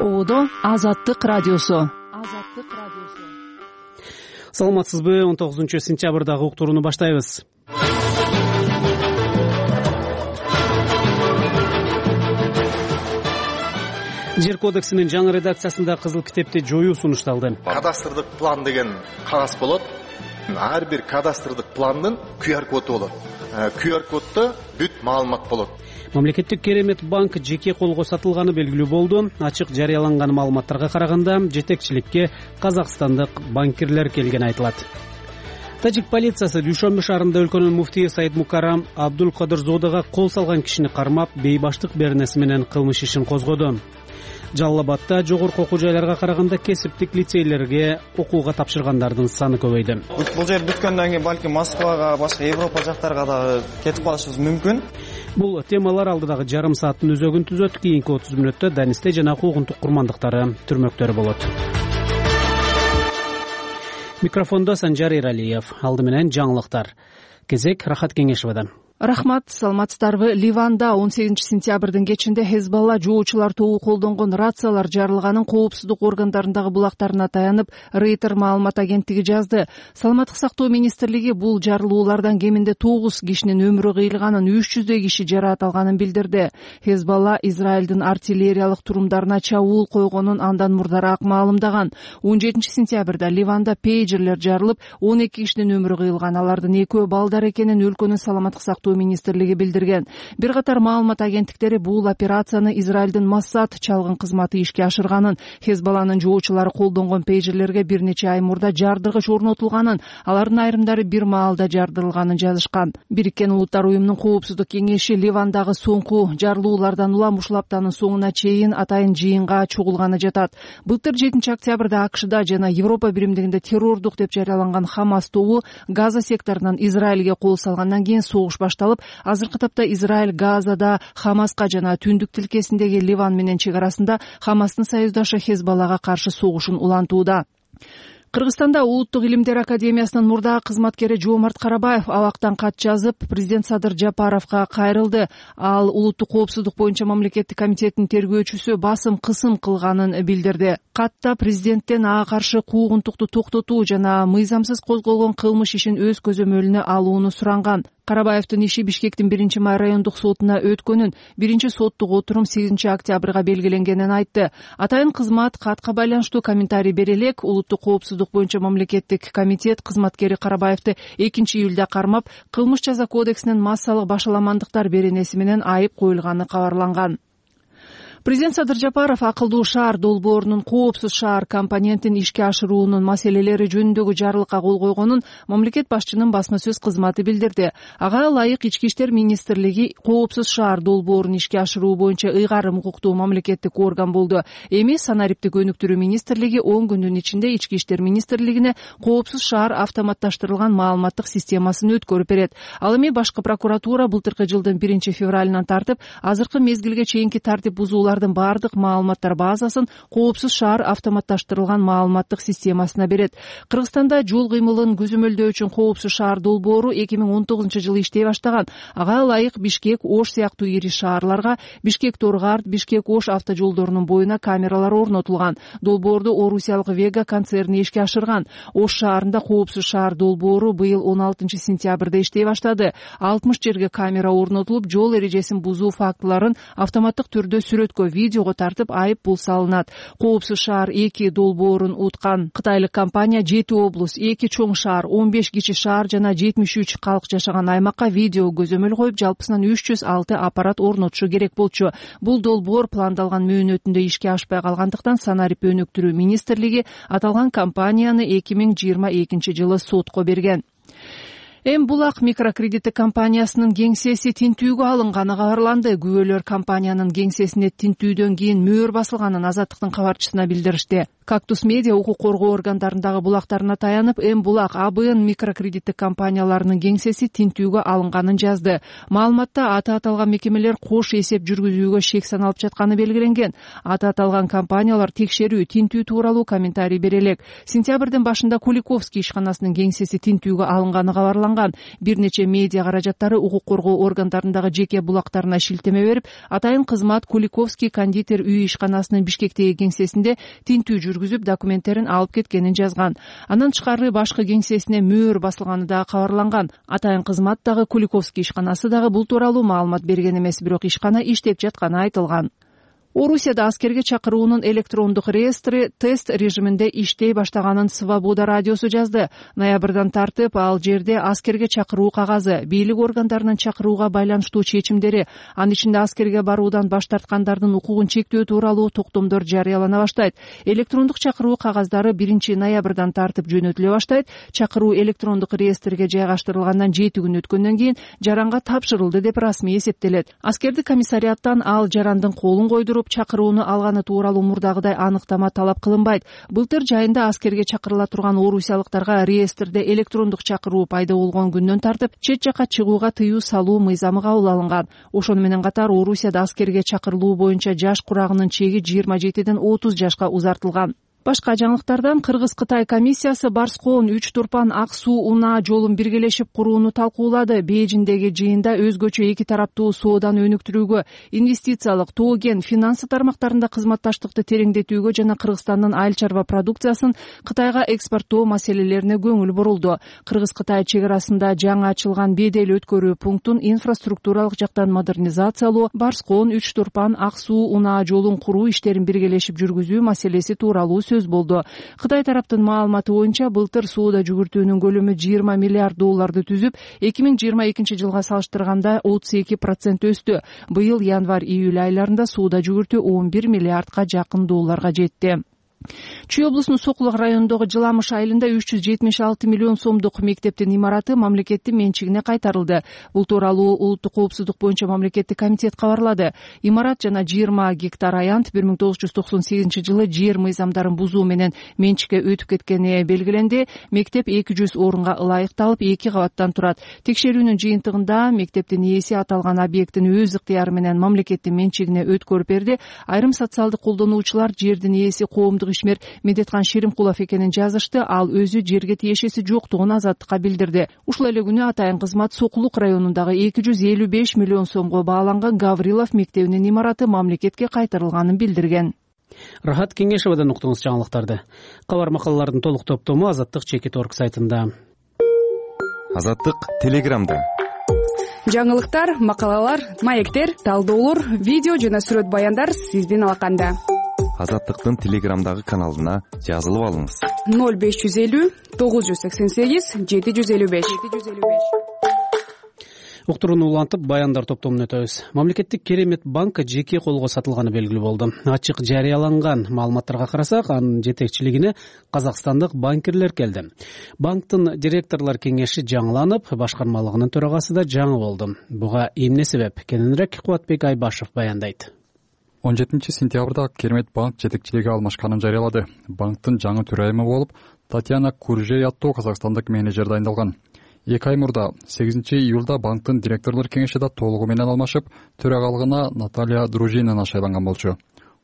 Одо Азаттык радиосу. Саламатсызбы? 19-сентябрдагы уктурууну баштайбыз. Жер кодексинин жаңы редакциясында кызыл китепти жоюу сунушталды. Кадастрдык план деген кагаз болот. Ар бир кадастрдык пландын QR коду болот. QR коддо бүт маалымат болот. Мамлекеттик керемет банк жеке колго сатылганы белгилүү болду. Ачык жарыяланган маалыматтарга караганда жетекчиликке казакстандык банкирлер келгени айтылат. Тажик полициясы Дүйшөмбү шаарында өлкөнүн муфтийи Саид Мукаррам Абдулкадырзодага кол салган кишини кармап, бейбаштык беренеси менен кылмыш ишин козгоду. Жалал Абадта жогорку окуу жайларга караганда кесиптик лицейлерге окууга тапшыргандардын саны көбөйдү. Бул жер бүткөндөн кийин балким Москвага, башка Европа жактарга дагы кетип калышыбыз мүмкүн. Бул темалар алдыдагы жарым сааттын өзөгүн түзөт. Кийинки 30 мүнөттө Данисте жана куугунтук курмандыктары түрмөктөрү болот. Микрофондо Санжар Эралиев. Алды менен жаңылыктар. Кезек Рахат Кеңешевадан. Рахмат, саламатсыздарбы? Ливанда 18-сентябрдын кечинде Хезболла жоочулар тобу колдонгон рациялар жарылганын коопсуздук органдарындагы булактарына таянып, Рейтер маалымат агенттиги жазды. Саламаттык сактоо министрлиги бул жарылуулардан кеминде 9 кишинин өмүрү кыйылганын, 300 киши жараат алганын билдирди. Хезболла Израилдин артиллериялык турумдарына чабуул койгонун андан мурдараак маалымдаган. 17-сентябрда Ливанда пейджерлер жарылып, 12 кишинин өмүрү кыйылган. Алардын экөө балдар экенин өлкөнүн саламаттык сактоо министрлиги билдирген. Бир катар маалымат агенттиктери бул операцияны Израилдин Моссад чалгын кызматы ишке ашырганын, Хезболланын жоочулары колдонгон пейджерлерге бир нече ай мурда жардыргыч орнотулганын, алардын айрымдары бир маалда жардырылганын жазышкан. Бириккен Улуттар уюмунун коопсуздук кеңеши Ливандагы соңку жарылуулардан улам ушул аптанын соңуна чейин атайын жыйынга чогулганы жатат. Былтыр 7-октябрда АКШда жана Европа биримдигинде террордук деп жарыяланган Хамас тобу Газа секторунан Израилге кол салгандан кийин согуш башталып, азыркы тапта Израиль Газада Хамаска жана түндүк тилкесиндеги Ливан менен чек арасында Хамастын союздашы Хезболлага каршы согушун улантууда. Кыргызстанда Улуттук илимдер академиясынын мурдагы кызматкери Жоомарт Карабаев абактан кат жазып, президент Садыр Жапаровго кайрылды. Ал улуттук коопсуздук боюнча мамлекеттик комитеттин тергөөчүсү басым кысым кылганын билдирди. Катта президенттен ага каршы куугунтукту токтотуу жана мыйзамсыз козголгон кылмыш ишин өз көзөмөлүнө алууну суранган. Карабаевдин иши Бишкектин 1-май райондук сотуна өткөнүн, 1-соттук отурум 8-октябрга белгиленгенин айтты. Атайын кызмат катка байланыштуу комментарий бере элек, улуттук коопсуздук боюнча мамлекеттик комитет кызматкери Карабаевди 2-июлда кармап, кылмыш жаза кодексинин массалык башаламандыктар беренеси менен айып коюлганы кабарланган. Президент Садыр Жапаров акылдуу шаар долбоорунун коопсуз шаар компонентин ишке ашыруунун маселелери жөнүндөгү жарлыкка кол койгонун мамлекет башчынын басма сөз кызматы билдирди. Ага ылайык Ички иштер министрлиги коопсуз шаар долбоорун ишке ашыруу боюнча ыйгарым укуктуу мамлекеттик орган болду. Эми санариптик өнүктүрүү министрлиги 10 күндүн ичинде Ички иштер министрлигине коопсуз шаар автоматташтырылган маалыматтык системасын өткөрүп берет. Ал эми башкы прокуратура былтыркы жылдын 1-февралынан тартып, азыркы мезгилге чейинки тартип бузуулар бардык маалыматтар базасын коопсуз шаар автоматташтырылган маалыматтык системасына берет. Кыргызстанда жол кыймылын көзөмөлдөө үчүн коопсуз шаар долбоору 2019-жылы иштей баштаган. Ага ылайык Бишкек, Ош сыяктуу ири шаарларга Бишкек-Торгарт, Бишкек-Ош автожолдорунун боюна камералар орнотулган. Долбоорду Орусиялык Вега концерни ишке ашырган. Ош шаарында коопсуз шаар долбоору быйыл 16-сентябрда иштей баштады. 60 жерге камера орнотулуп, жол эрежесин бузуу фактыларын автоматтык түрдө сүрөткө, видеого тартып айып пул салынат. Коопсуз шаар 2 долбоорун уткан кытайлык компания 7 облус, 2 чоң шаар, 15 кичи шаар жана 73 калк жашаган аймакка видео көзөмөл коюп, жалпысынан 306 аппарат орнотушу керек болчу. Бул долбоор пландалган мөөнөтүндө ишке ашпай калгандыктан санарип өнүктүрүү министрлиги аталган компанияны 2022-жылы сотко берген. Булак микрокредиттик компаниясынын кеңсеси тинтүүгө алынганы кабарланды. Күбөлөр компаниянын кеңсесине тинтүүдөн кийин мөөр басылганын Азаттыктын кабарчысына билдиришти. Кактус медиа укук коргоо органдарындагы булактарына таянып, М булак АБН микрокредиттик компанияларынын кеңсеси тинтүүгө алынганын жазды. Маалыматта аты аталган мекемелер кош эсеп жүргүзүүгө шек саналып жатканы белгиленген. Аты аталган компаниялар текшерүү, тинтүү тууралуу комментарий бере элек. Сентябрдын башында Куликовский ишканасынын кеңсеси тинтүүгө алынганы кабарланган. Бир нече медиа каражаттары укук коргоо органдарындагы жеке булактарына шилтеме берип, атайын кызмат Куликовский кондитер үй ишканасынын Бишкектеги кеңсесинде тинтүү жүргүзүп, документтерин алып кеткенин жазган. Андан тышкары башкы кеңсесине мөөр басылганы дагы кабарланган. Атайын кызмат дагы Куликовский ишканасы дагы бул тууралуу маалымат берген эмес, бирок ишкана иштеп жатканы айтылган. Орусияда аскерге чакыруунун электрондук реестри тест режиминде иштей баштаганын Свобода радиосу жазды. Ноябрдан тартып ал жерде аскерге чакыруу кагазы, бийлик органдарынын чакырууга байланыштуу чечимдери, анын ичинде аскерге баруудан баш тарткандардын укугун чектөө тууралуу токтомдор жарыялана баштайт. Электрондук чакыруу кагаздары 1 ноябрдан тартып жөнөтүлө баштайт. Чакыруу электрондук реестрге жайгаштырылгандан 7 күн өткөндөн кийин жаранга тапшырылды деп расмий эсептелет. Аскердик комиссариаттан ал жарандын колун койдуруп чакырууну алганы тууралуу мурдагыдай аныктама талап кылынбайт. Былтыр жайында аскерге чакырыла турган орусиялыктарга реестрде электрондук чакыруу пайда болгон күндөн тартып чет жакка чыгууга тыюу салуу мыйзамы кабыл алынган. Ошону менен катар Орусияда аскерге чакырылуу боюнча жаш курагынын чеги 27ден 30 жашка узартылган. Башка жаңылыктардан Кыргыз-Кытай комиссиясы Барскоон 3 турпан ак суу унаа жолун биргелешип курууну талкуулады. Бейжиңдеги жыйында өзгөчө эки тараптуу сооданы өнүктүрүүгө, инвестициялык, тоо-кен, финансы тармактарында кызматташтыкты тереңдетүүгө жана Кыргызстандын айыл чарба продукциясын Кытайга экспорттоо маселелерине көңүл бурулду. Кыргыз-Кытай чек арасында жаңы ачылган бедел өткөрүү пунктун инфраструктуралык жактан модернизациялоо, Барскоон 3 турпан ак суу унаа жолун куруу иштерин биргелешип жүргүзүү маселеси тууралуу сөз болду. Кытай тараптын маалыматы боюнча былтыр сууда жүгүртүүнүн көлөмү 20 миллиард долларды түзүп, 2022 жылга салыштырганда 32% өстү. Быйыл январь-июль айларында сууда жүгүртүү 11 миллиардка жакын долларга жетти. Чүй облусунун Сокулук районундагы Жыламыш айылында 376 миллион сомдук мектептин имараты мамлекеттин менчигине кайтарылды. Бул тууралуу улуттук коопсуздук боюнча мамлекеттик комитет кабарлады. Имарат жана 20 гектар аянт 1998 жылы жер мыйзамдарын бузуу менен менчикке өтүп кеткени белгиленди. Мектеп 200 орунга ылайыкталып, 2 кабаттан турат. Текшерүүнүн жыйынтыгында мектептин ээси аталган объекттин өз ыктыяры менен мамлекеттин менчигине өткөрүп берди. Айрым социалдык колдонуучулар жердин ээси коомдук ишмер Медеткан Шеримкулов экенин жазышты. Ал өзү жерге тиешеси жоктугун Азаттыкка билдирди. Ушул эле күнү атайын кызмат Сокулук районундагы 255 миллион сомго бааланган Гаврилов мектебинин имараты мамлекетке кайтарылганын билдирген. Рахат Кеңешевадан уктуңуз жаңылыктарды. Кабар макалалардын толук топтому Азаттык Чекит.орг сайтында. Азаттык Телеграмда. Жаңылыктар, макалалар, маектер, талдоолор, видео жана сүрөт баяндар сиздин алаканда. Азаттыктын Телеграмдагы каналына жазылып алыңыз. 0550 988 755. Уктурууну улантып, баяндар топтомуна өтөбүз. Мамлекеттик Керемет банк жеке колго сатылганы белгилүү болду. Ачык жарыяланган маалыматтарга карасак, анын жетекчилигине казакстандык банкирлер келди. Банктын директорлор кеңеши жаңыланып, башкармалыгынын төрагасы да жаңы болду. Буга эмне себеп? Кененирээк Кубатбек Айбашев баяндайт. 17 сентябрда Керемет банк жетекчилиги алмашканын жарыялады. Банктын жаңы төрайымы болуп Татьяна Куржей аттуу казакстандык менеджер дайындалган. 2 ай мурда 8 июлда банктын директорлор кеңеши да толугу менен алмашып, төрагалыгына Наталья Дружинина шайланган болчу.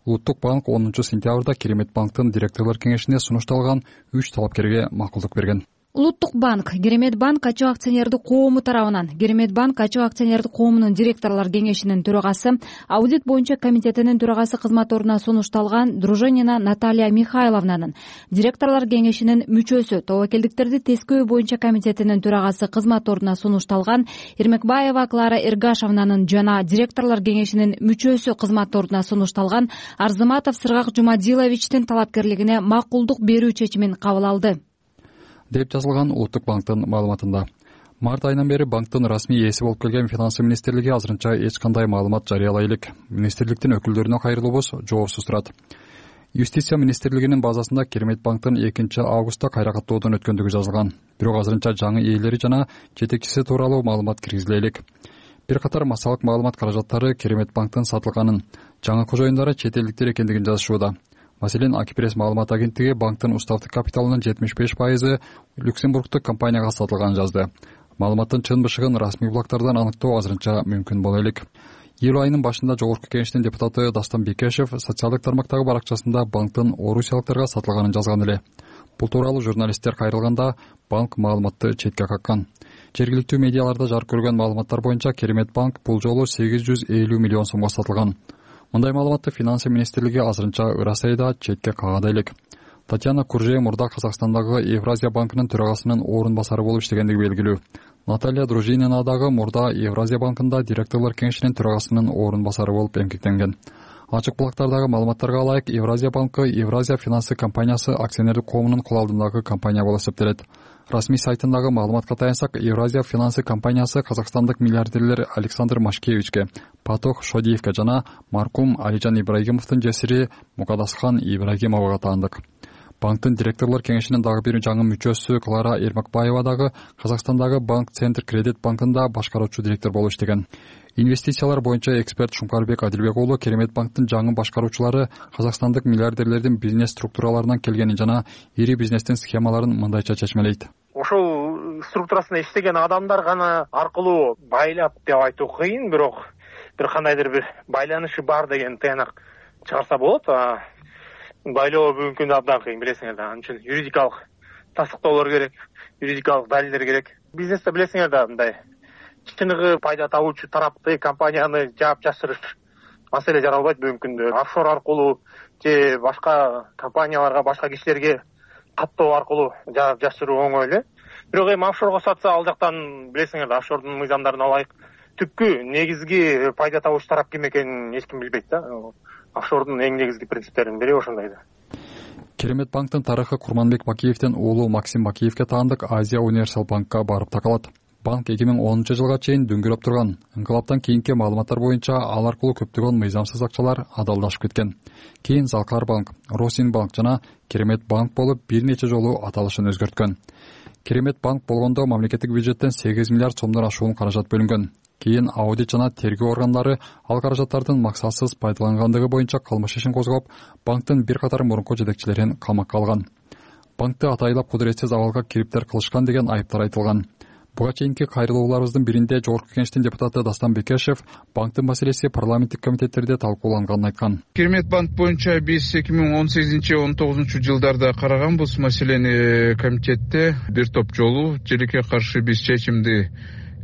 Улуттук банк 10 сентябрда Керемет банктын директорлор кеңешине сунушталган 3 талапкерге макулдук берген. Улуттук банк, Керемет банк ачык акционердик коому тарабынан Керемет банк ачык акционердик коомунун директорлор кеңешинин төрагасы, аудит боюнча комитетинин төрагасы кызмат ордуна сунушталган Дружинина Наталья Михайловнанын, директорлор кеңешинин мүчөсү, тобокелдиктерди тескөө боюнча комитетинин төрагасы кызмат ордуна сунушталган Эрмекбаева Клара Эргашевнанын жана директорлор кеңешинин мүчөсү кызмат ордуна сунушталган Арзыматов Сыргак Жумадиловичтин талапкерлигине макулдук берүү чечимин кабыл алды деп жазылган Улуттук банктын маалыматында. Март айынан бери банктын расмий ээси болуп келген Финансы министрлиги азырынча эч кандай маалымат жарыялай элек. Министрликтин өкүлдөрүнө кайрылуубуз жоопсуз турат. Юстиция министрлигинин базасында Керемет банктын 2 августта кайра каттоодон өткөндүгү жазылган. Бирок азырынча жаңы ээлери жана жетекчиси тууралуу маалымат киргизиле элек. Бир катар массалык маалымат каражаттары Керемет банктын сатылганын, жаңы кожоюндары чет элдиктер экендигин жазышууда. Маселен, Акипресс маалымат агенттиги банктын уставдык капиталынын 75% Люксембургдук компанияга сатылганын жазды. Маалыматтын чын бышыгын расмий булактардан аныктоо азырынча мүмкүн боло элек. Июль айынын башында Жогорку Кеңештин депутаты Дастан Бекешев социалдык тармактагы баракчасында банктын орусиялыктарга сатылганын жазган эле. Бул тууралуу журналисттер кайрылганда банк маалыматты четке каккан. Жергиликтүү медиаларда жарык көргөн маалыматтар боюнча Керемет банк бул жолу 850 миллион сомго сатылган. Мындай маалыматты Финансы министрлиги азырынча ырасайда четке кагады элек. Татьяна Куржея мурда Казакстандагы Евразия банкынын төрагасынын орун басары болуп иштегендиги белгилүү. Наталья Дружинина дагы мурда Евразия банкында директорлор кеңешинин төрагасынын орун басары болуп эмгектенген. Ачык булактардагы маалыматтарга ылайык, Евразия банкы Евразия финансы компаниясы акционердик коомунун кол алдындагы компания болуп эсептелет. Расмий сайтындагы маалыматка таянсак, Евразия финансы компаниясы казакстандык миллиардерлер Александр Машкевичке, Патох Шодиевке жана маркум Алижан Ибрагимовдун жесири Мукадасхан Ибрагимовага таандык. Банктын директорлор кеңешинин дагы бир жаңы мүчөсү Клара Эрмакбаева дагы Казакстандагы Банк Центр Кредит банкында башкаруучу директор болуп иштеген. Инвестициялар боюнча эксперт Шумкарбек Адилбек уулу Керемет банктын жаңы башкаруучулары казакстандык миллиардерлердин бизнес структураларынан келгенин жана ири бизнестин схемаларын мындайча чечмелейт. Ошол структурасында иштеген адамдар гана аркылуу байлап деп айтуу кыйын, бирок бир кандайдыр бир байланышы бар деген тыянак чыгарса болот. Байлоо бүгүнкү күндө абдан кыйын, билесиңер да. Анын үчүн юридикалык тастыктоолор керек, юридикалык далилдер керек. Бизнесте билесиңер да, мындай чыныгы пайда табуучу тарапты компанияны жаап жашырыш маселе жаралбайт бүгүнкү күндө. Офшор аркылуу же башка компанияларга, башка кишилерге каттоо аркылуу жаап жашыруу оңой эле. Бирок эми офшорго сатса, ал жактан билесиңер да, офшордун мыйзамдарына ылайык түпкү негизги пайда табуучу тарап ким экенин эч ким билбейт да. Офшордун эң негизги принциптеринин бири ошондой да. Керемет банктын тарыхы Курманбек Макиевден уулу Максим Макиевке таандык Азия Универсал банкка барып такалат. Банк 2010 жылга чейин дүңгүрөп турган. Инкылаптан кийинки маалыматтар боюнча ал аркылуу көптөгөн мыйзамсыз акчалар адалдашып кеткен. Кийин Залкар банк, Росин банк жана Керемет банк болуп бир нече жолу аталышын өзгөрткөн. Керемет банк болгондо мамлекеттик бюджеттен 8 миллиард сомдон ашуун каражат бөлүнгөн. Кийин аудит жана тергөө органдары ал каражаттардын максатсыз пайдалангандыгы боюнча кылмыш ишин козгоп, банктын бир катар мурунку жетекчилерин камакка алган. Банкты атайлап кудуретсиз абалга кириптер кылышкан деген айыптар айтылган. Буга чейинки кайрылууларыбыздын биринде Жогорку Кеңештин депутаты Дастан Бекешев банктын маселеси парламенттик комитеттерде талкууланганын айткан. Керемет банк боюнча биз 2018-19 жылдарда караганбыз маселени комитетте. Бир топ жолу желекке каршы биз чечимди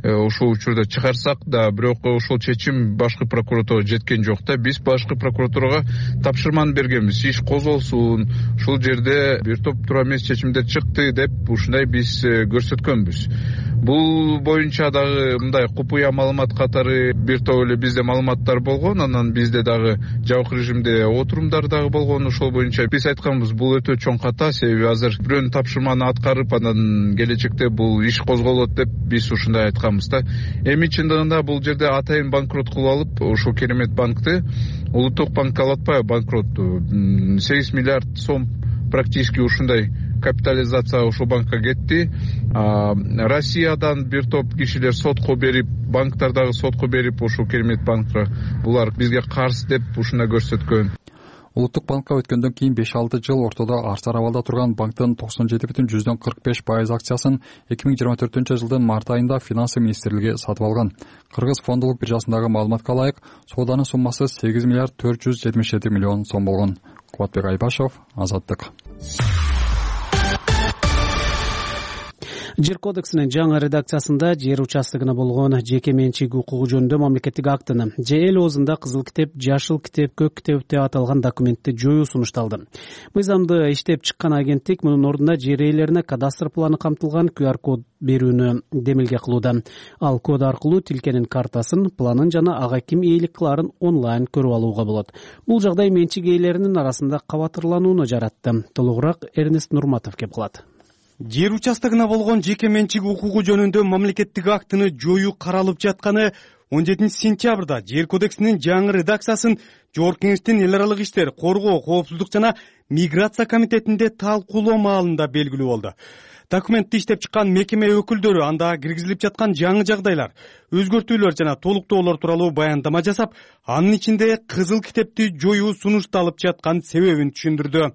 ошол учурда чыгарсак да, бирок ошол чечим башкы прокуратурага жеткен жок да. Биз башкы прокуратурага тапшырманы бергенбиз, иш козголсун, ушул жерде бир топ туура эмес чечимдер чыкты деп ушундай биз көрсөткөнбүз. Бул боюнча дагы мындай купуя маалымат катары бир топ эле бизде маалыматтар болгон, анан бизде дагы жабык режимде отурумдар дагы болгон. Ошол боюнча биз айтканбыз, бул өтө чоң ката, себеби азыр бирөөнүн тапшырманы аткарып, анан келечекте бул иш козголот деп биз ушундай айтканбыз да. Эми чындыгында бул жерде атайын банкрот кылып алып, ошол Керемет банкты улуттук банкка алатпайбы банкрот 8 миллиард сом практически ушундай капитализация ошол банкка кетти. Россиядан бир топ кишилер сотко берип, банктар дагы сотко берип, ошол Керемет банкка булар бизге каршы деп ушундай көрсөткөн. Улуттук банкка өткөндөн кийин 5-6 жыл ортодо арсар абалда турган банктын 97,45% акциясын 2024 жылдын март айында Финансы министрлиги сатып алган. Кыргыз фондулук биржасындагы маалыматка ылайык, сооданын суммасы 8 миллиард 477 миллион сом болгон. Кубатбек Айбашев, Азаттык. Жер кодексинин жаңы редакциясында жер участогуна болгон жеке менчик укугу жөнүндө мамлекеттик актыны же эл оозунда кызыл китеп, жашыл китеп, көк китеп деп аталган документти жоюу сунушталды. Мыйзамды иштеп чыккан агенттик мунун ордуна жер ээлерине кадастр планы камтылган QR код берүүнү демилге кылууда. Ал код аркылуу тилкенин картасын, планын жана ага ким ээлик кылаарын онлайн көрүп алууга болот. Бул жагдай менчик ээлеринин арасында кабатырланууну жаратты. Толугураак Эрнест Нурматов кеп кылат. Жер участогуна болгон жеке менчик укугу жөнүндө мамлекеттик актыны жоюу каралып жатканы 17 сентябрда Жер кодексинин жаңы редакциясын Жогорку Кеңештин эл аралык иштер, коргоо, коопсуздук жана миграция комитетинде талкуулоо маалында белгилүү болду. Документти иштеп чыккан мекеме өкүлдөрү анда киргизилип жаткан жаңы жагдайлар, өзгөртүүлөр жана толуктоолор тууралуу баяндама жасап, анын ичинде кызыл китепти жоюу сунушталып жаткан себебин түшүндүрдү.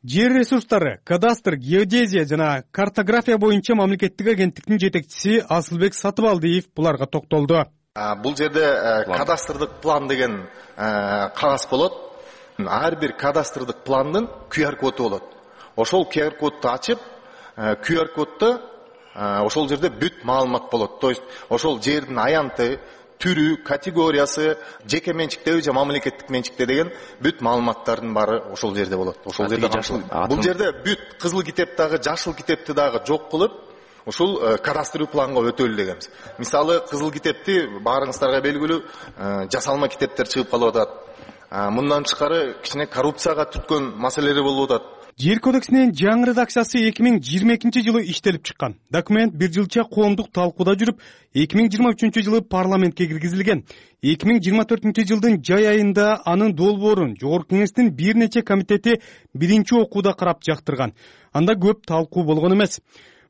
Жер ресурстары, кадастр, геодезия жана картография боюнча мамлекеттик агенттиктин жетекчиси Асылбек Сатыбалдиев буларга токтолду. Бул жерде кадастрдык план деген кагаз болот. Ар бир кадастрдык пландын QR коду болот. Ошол QR кодду ачып, QR коддо ошол жерде бүт маалымат болот. То есть ошол жердин аянты, түрү, категориясы, жеке менчиктеби же мамлекеттик менчикте деген бүт маалыматтардын баары ошол жерде болот. Ошол жерде бул жерде бүт кызыл китеп дагы, жашыл китепти дагы жок кылып, ушул кадастрлуу планга өтөлү дегенбиз. Мисалы, кызыл китепти баарыңыздарга белгилүү жасалма китептер чыгып калып атат. Мындан тышкары кичине коррупцияга түткөн маселелер болуп атат. Жер кодексинин жаңы редакциясы 2022 жылы иштелип чыккан. Документ бир жылча коомдук талкууда жүрүп, 2023 жылы парламентке киргизилген. 2024 жылдын жай айында анын долбоорун Жогорку Кеңештин бир нече комитети биринчи окууда карап жактырган. Анда көп талкуу болгон эмес.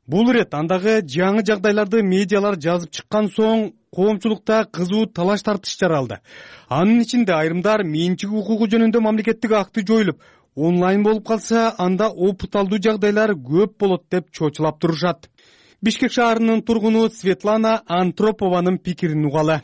Бул ирет андагы жаңы жагдайларды медиалар жазып чыккан соң коомчулукта кызуу талаш тартыш жаралды. Анын ичинде айрымдар менчик укугу жөнүндө мамлекеттик акты жоюлуп, онлайн болуп калса, анда опыт алуу жагдайлар көп болот деп чочулап турушат. Бишкек шаарынын тургуну Светлана Антропованын пикирин угалы.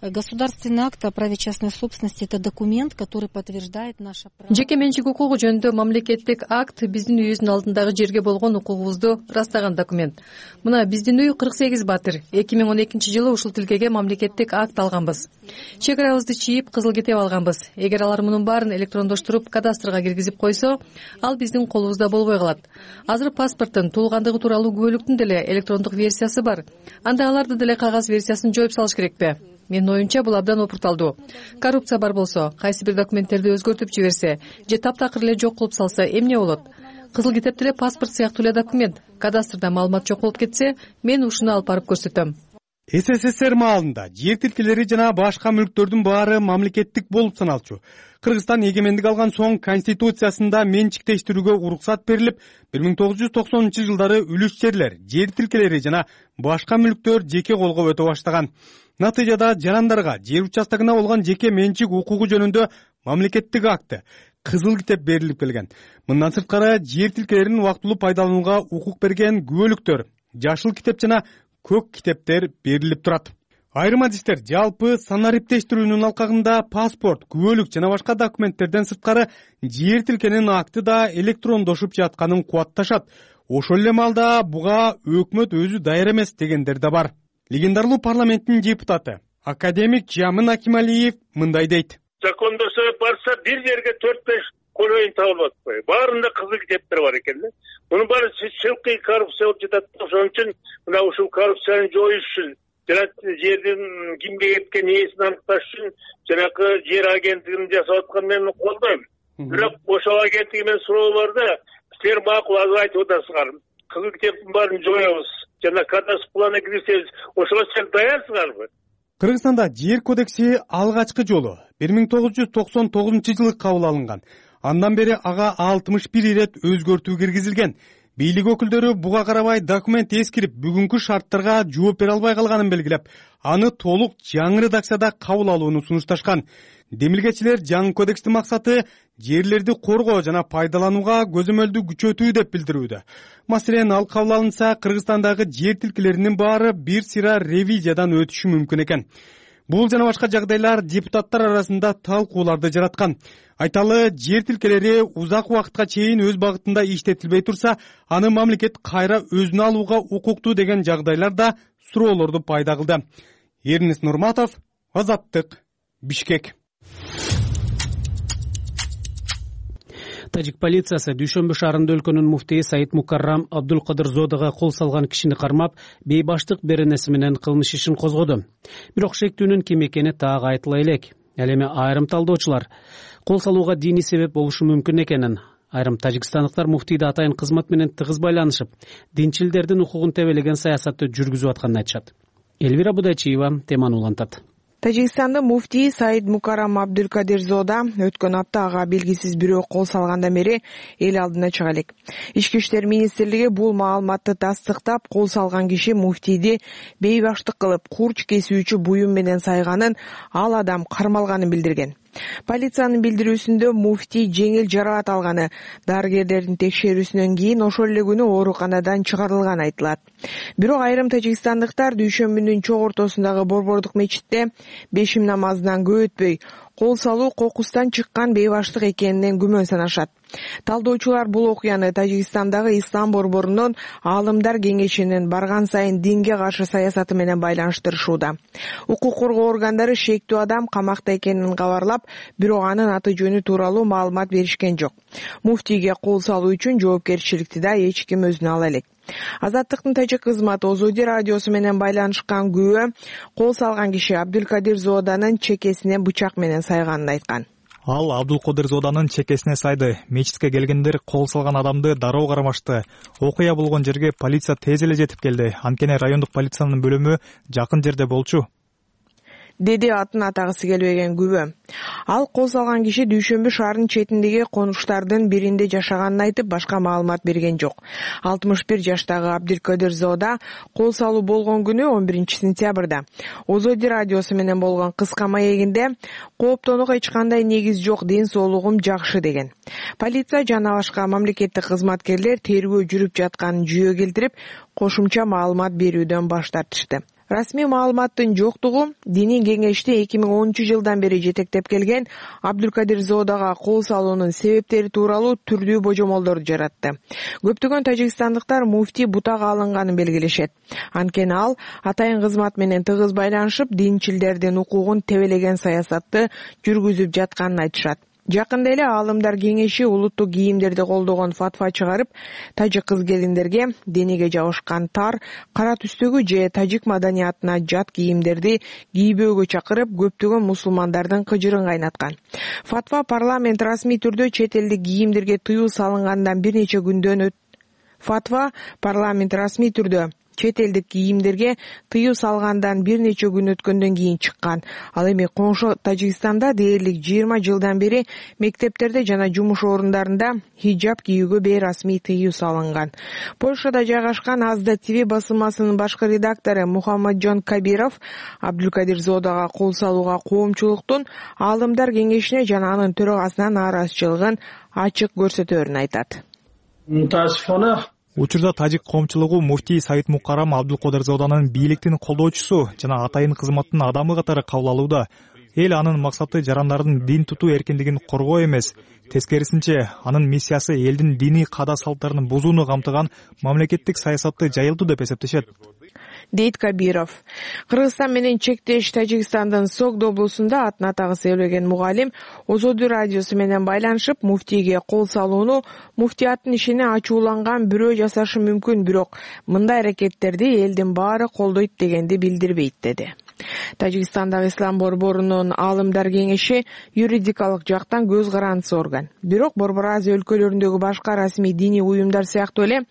Государственный акт о праве частной собственности — это документ, который подтверждает наше право. Жеке менчик укугу жөнүндө мамлекеттик акт биздин үйүбүздүн алдындагы жерге болгон укугубузду ырастаган документ. Мына биздин үй 48 батыр. 2012 жылы ушул тилкеге мамлекеттик акт алганбыз. Чек арабызды чийип, кызыл китеп алганбыз. Эгер алар мунун баарын электрондоштуруп кадастрга киргизип койсо, ал биздин колубузда болбой калат. Азыр паспорттун туулгандыгы тууралуу күбөлүктүн деле электрондук версиясы бар. Анда аларды деле кагаз версиясын жоюп салыш керекпи? Менин оюмча бул абдан опурталдуу. Коррупция бар болсо, кайсы бир документтерди өзгөртүп жиберсе, же таптакыр эле жок кылып салса эмне болот? Кызыл китеп деле паспорт сыяктуу эле документ. Кадастрда маалымат жок болуп кетсе, мен ушуну алып барып көрсөтөм. СССР маалында жер тилкелери жана башка мүлктөрдүн баары мамлекеттик болуп саналчу. Кыргызстан эгемендик алган соң конституциясында менчиктештирүүгө уруксат берилип, 1990 жылдары үлүш жерлер, жер тилкелери жана башка мүлктөр жеке колго өтө баштаган. Натыйжада жарандарга жер участогуна болгон жеке менчик укугу жөнүндө мамлекеттик акты, кызыл китеп берилип келген. Мындан сырткары жер тилкелерин убактылуу пайдаланууга укук берген күбөлүктөр, жашыл китеп жана көк китептер берилип турат. Айрым адистер жалпы санариптештирүүнүн алкагында паспорт, күбөлүк жана башка документтерден сырткары жер тилкенин акты да электрондошуп жатканын кубатташат. Ошол эле маалда буга өкмөт өзү даяр эмес дегендер да бар. Легендарлуу парламенттин депутаты академик Жамын Акималиев мындай дейт. Закондосо барса бир жерге 4-5 колоюн табылып атпайбы. Баарында кызыл китептер бар экен да. Мунун баары чылкый коррупция болуп жатат. Ошон үчүн мына ушул коррупцияны жоюш үчүн жана жердин кимге кеткен ээсин аныкташ үчүн жанакы жер агенттигин жасап атканын мен колдойм. Бирок ошол агенттиги менен суроо бар да, силер макул айтып атасыңар. Кызыл китептин баарын жоебуз. Жана кадастр плана кирсеңиз, ошого сен даярсыңарбы? Кыргызстанда жер кодекси алгачкы жолу 1999 жылы кабыл алынган. Андан бери ага 61 ирет өзгөртүү киргизилген. Бийлик өкүлдөрү буга карабай документ эскирип, бүгүнкү шарттарга жооп бере албай калганын белгилеп, аны толук жаңы редакцияда кабыл алууну сунушташкан. Демилгечилер жаңы кодекстин максаты жерлерди коргоо жана пайдаланууга көзөмөлдү күчөтүү деп билдирүүдө. Маселен, ал кабыл алынса, Кыргызстандагы жер тилкелеринин баары бир сыйра ревизиядан өтүшү мүмкүн экен. Бул жана башка жагдайлар депутаттар арасында талкууларды жараткан. Айталы, жер тилкелери узак убакытка чейин өз багытында иштетилбей турса, аны мамлекет кайра өзүнө алууга укуктуу деген жагдайлар да суроолорду пайда кылды. Эрнис Нурматов, Азаттык, Бишкек. Тажик полициясы Дүйшөмбү шаарында өлкөнүн муфтийи Саид Мукаррам Абдулкадырзодого кол салган кишини кармап, бейбаштык беренеси менен кылмыш ишин козгоду. Бирок шектүүнүн ким экени так айтыла элек. Ал эми айрым талдоочулар кол салууга диний себеп болушу мүмкүн экенин, айрым тажикстандыктар муфтийди атайын кызмат менен тыгыз байланышып, динчилдердин укугун тебелеген саясатты жүргүзүп атканын айтышат. Элвира Будайчиева теманы улантат. Тажикстандын муфтийи Саид Мукарам Абдулкадирзода өткөн апта ага белгисиз бирөө кол салгандан бери эл алдына чыга элек. Ички иштер министрлиги бул маалыматты тастыктап, кол салган киши муфтийди бейбаштык кылып, курч кесүүчү буюм менен сайганын, ал адам кармалганын билдирген. Полициянын билдирүүсүндө муфтий жеңил жаракат алганы, дарыгерлердин текшерүүсүнөн кийин ошол эле күнү ооруканадан чыгарылганы айтылат. Бирок айрым тажикстандыктар дүйшөмбүнүн чок ортосундагы Борбордук мечитте бешим намазынан көп өтпөй кол салуу кокустан чыккан бейбаштык экенинен күмөн санашат. Талдоочулар бул окуяны Тажикстандагы Ислам борборунун Аалымдар кеңешинин барган сайын динге каршы саясаты менен байланыштырышууда. Укук коргоо органдары шектүү адам камакта экенин кабарлап, бирок анын аты жөнү тууралуу маалымат беришкен жок. Муфтийге кол салуу үчүн жоопкерчиликти да эч ким өзүнө ала элек. Азаттыктын тажик кызматы Озоди радиосу менен байланышкан күбө кол салган киши Абдулкадирзоданын чекесине бычак менен сайганын айткан. Ал Абдулкадирзоданын чекесине сайды. Мечитке келгендер кол салган адамды дароо кармашты. Окуя болгон жерге полиция тез эле жетип келди. Анткени райондук полициянын бөлүмү жакын жерде болчу, деди атын атагысы келбеген күбө. Ал кол салган киши Дүйшөмбү шаарынын четиндеги конуштардын биринде жашаганын айтып, башка маалымат берген жок. 61 жаштагы Абдулкадирзода кол салуу болгон күнү 11 сентябрда Озоди радиосу менен болгон кыска маегинде кооптонууга эч кандай негиз жок, ден соолугум жакшы деген. Полиция жана башка мамлекеттик кызматкерлер тергөө жүрүп жатканын жүйө келтирип, кошумча маалымат берүүдөн баш тартышты. Расмий маалыматтын жоктугу диний кеңешти 2010 бери жетектеп келген Абдулкадирзодага кол салуунун себептери тууралуу түрдүү божомолдорду жаратты. Көптөгөн тажикстандыктар муфтий бутага алынганын белгилешет. Анткени ал атайын кызмат менен тыгыз байланышып, динчилдердин укугун тебелеген саясатты жүргүзүп жатканын айтышат. Жакында эле Аалымдар кеңеши улуттук кийимдерди колдогон фатва чыгарып, тажик кыз-келиндерге дениге жабышкан тар, кара түстөгү же тажик маданиятына жат кийимдерди кийбөөгө чакырып, көптөгөн мусулмандардын кыжырын кайнаткан. Фатва парламент расмий түрдө чет элдик кийимдерге тыюу салынгандан бир нече күндөн Фатва парламент расмий түрдө чет элдик кийимдерге тыюу салгандан бир нече күн өткөндөн кийин чыккан. Ал эми коңшу Тажикстанда дээрлик 20 жылдан бери мектептерде жана жумуш орундарында хиджаб кийүүгө бейрасмий тыюу салынган. Польшада жайгашкан Азда ТВ басылмасынын башкы редактору Мухаммаджон Кабиров Абдулкадирзодага кол салууга коомчулуктун Аалымдар кеңешине жана анын төрагасына нааразычылыгын ачык көрсөтөөрүн айтат. Учурда тажик коомчулугу муфтий Саид Мукарам Абдулкадирзоданын бийликтин колдоочусу жана атайын кызматтын адамы катары кабыл алууда. Эл анын максаты жарандардын дин тутуу эркиндигин коргоо эмес, тескерисинче анын миссиясы элдин диний каада салттарын бузууну камтыган мамлекеттик саясатты жайылтуу деп эсептешет, дейт Кабиров. Кыргызстан менен чектеш Тажикстандын Согд облусунда атын атагысы элбеген мугалим Озоди радиосу менен байланышып, муфтийге кол салууну муфтияттын ишине ачууланган бирөө жасашы мүмкүн, бирок мындай аракеттерди элдин баары колдойт дегенди билдирбейт, деди. Тажикстандагы Ислам борборунун Аалымдар кеңеши юридикалык жактан көз карандысы орган. Бирок Борбор Азия өлкөлөрүндөгү башка расмий диний уюмдар сыяктуу эле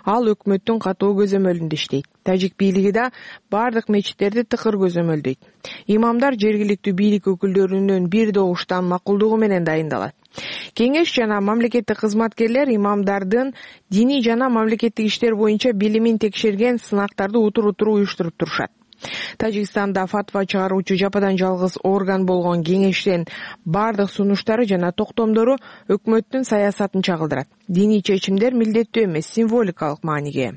ал өкмөттүн катуу көзөмөлүндө иштейт. Тажик бийлиги да бардык мечиттерди тыкыр көзөмөлдөйт. Имамдар жергиликтүү бийлик өкүлдөрүнүн бир добуштан макулдугу менен дайындалат. Кеңеш жана мамлекеттик кызматкерлер имамдардын диний жана мамлекеттик иштер боюнча билимин текшерген сынактарды утур-утур уюштуруп турушат. Тажикстанда фатва чыгаруучу жападан жалгыз орган болгон кеңештин бардык сунуштары жана токтомдору өкмөттүн саясатын чагылдырат. Диний чечимдер милдеттүү эмес, символикалык мааниге.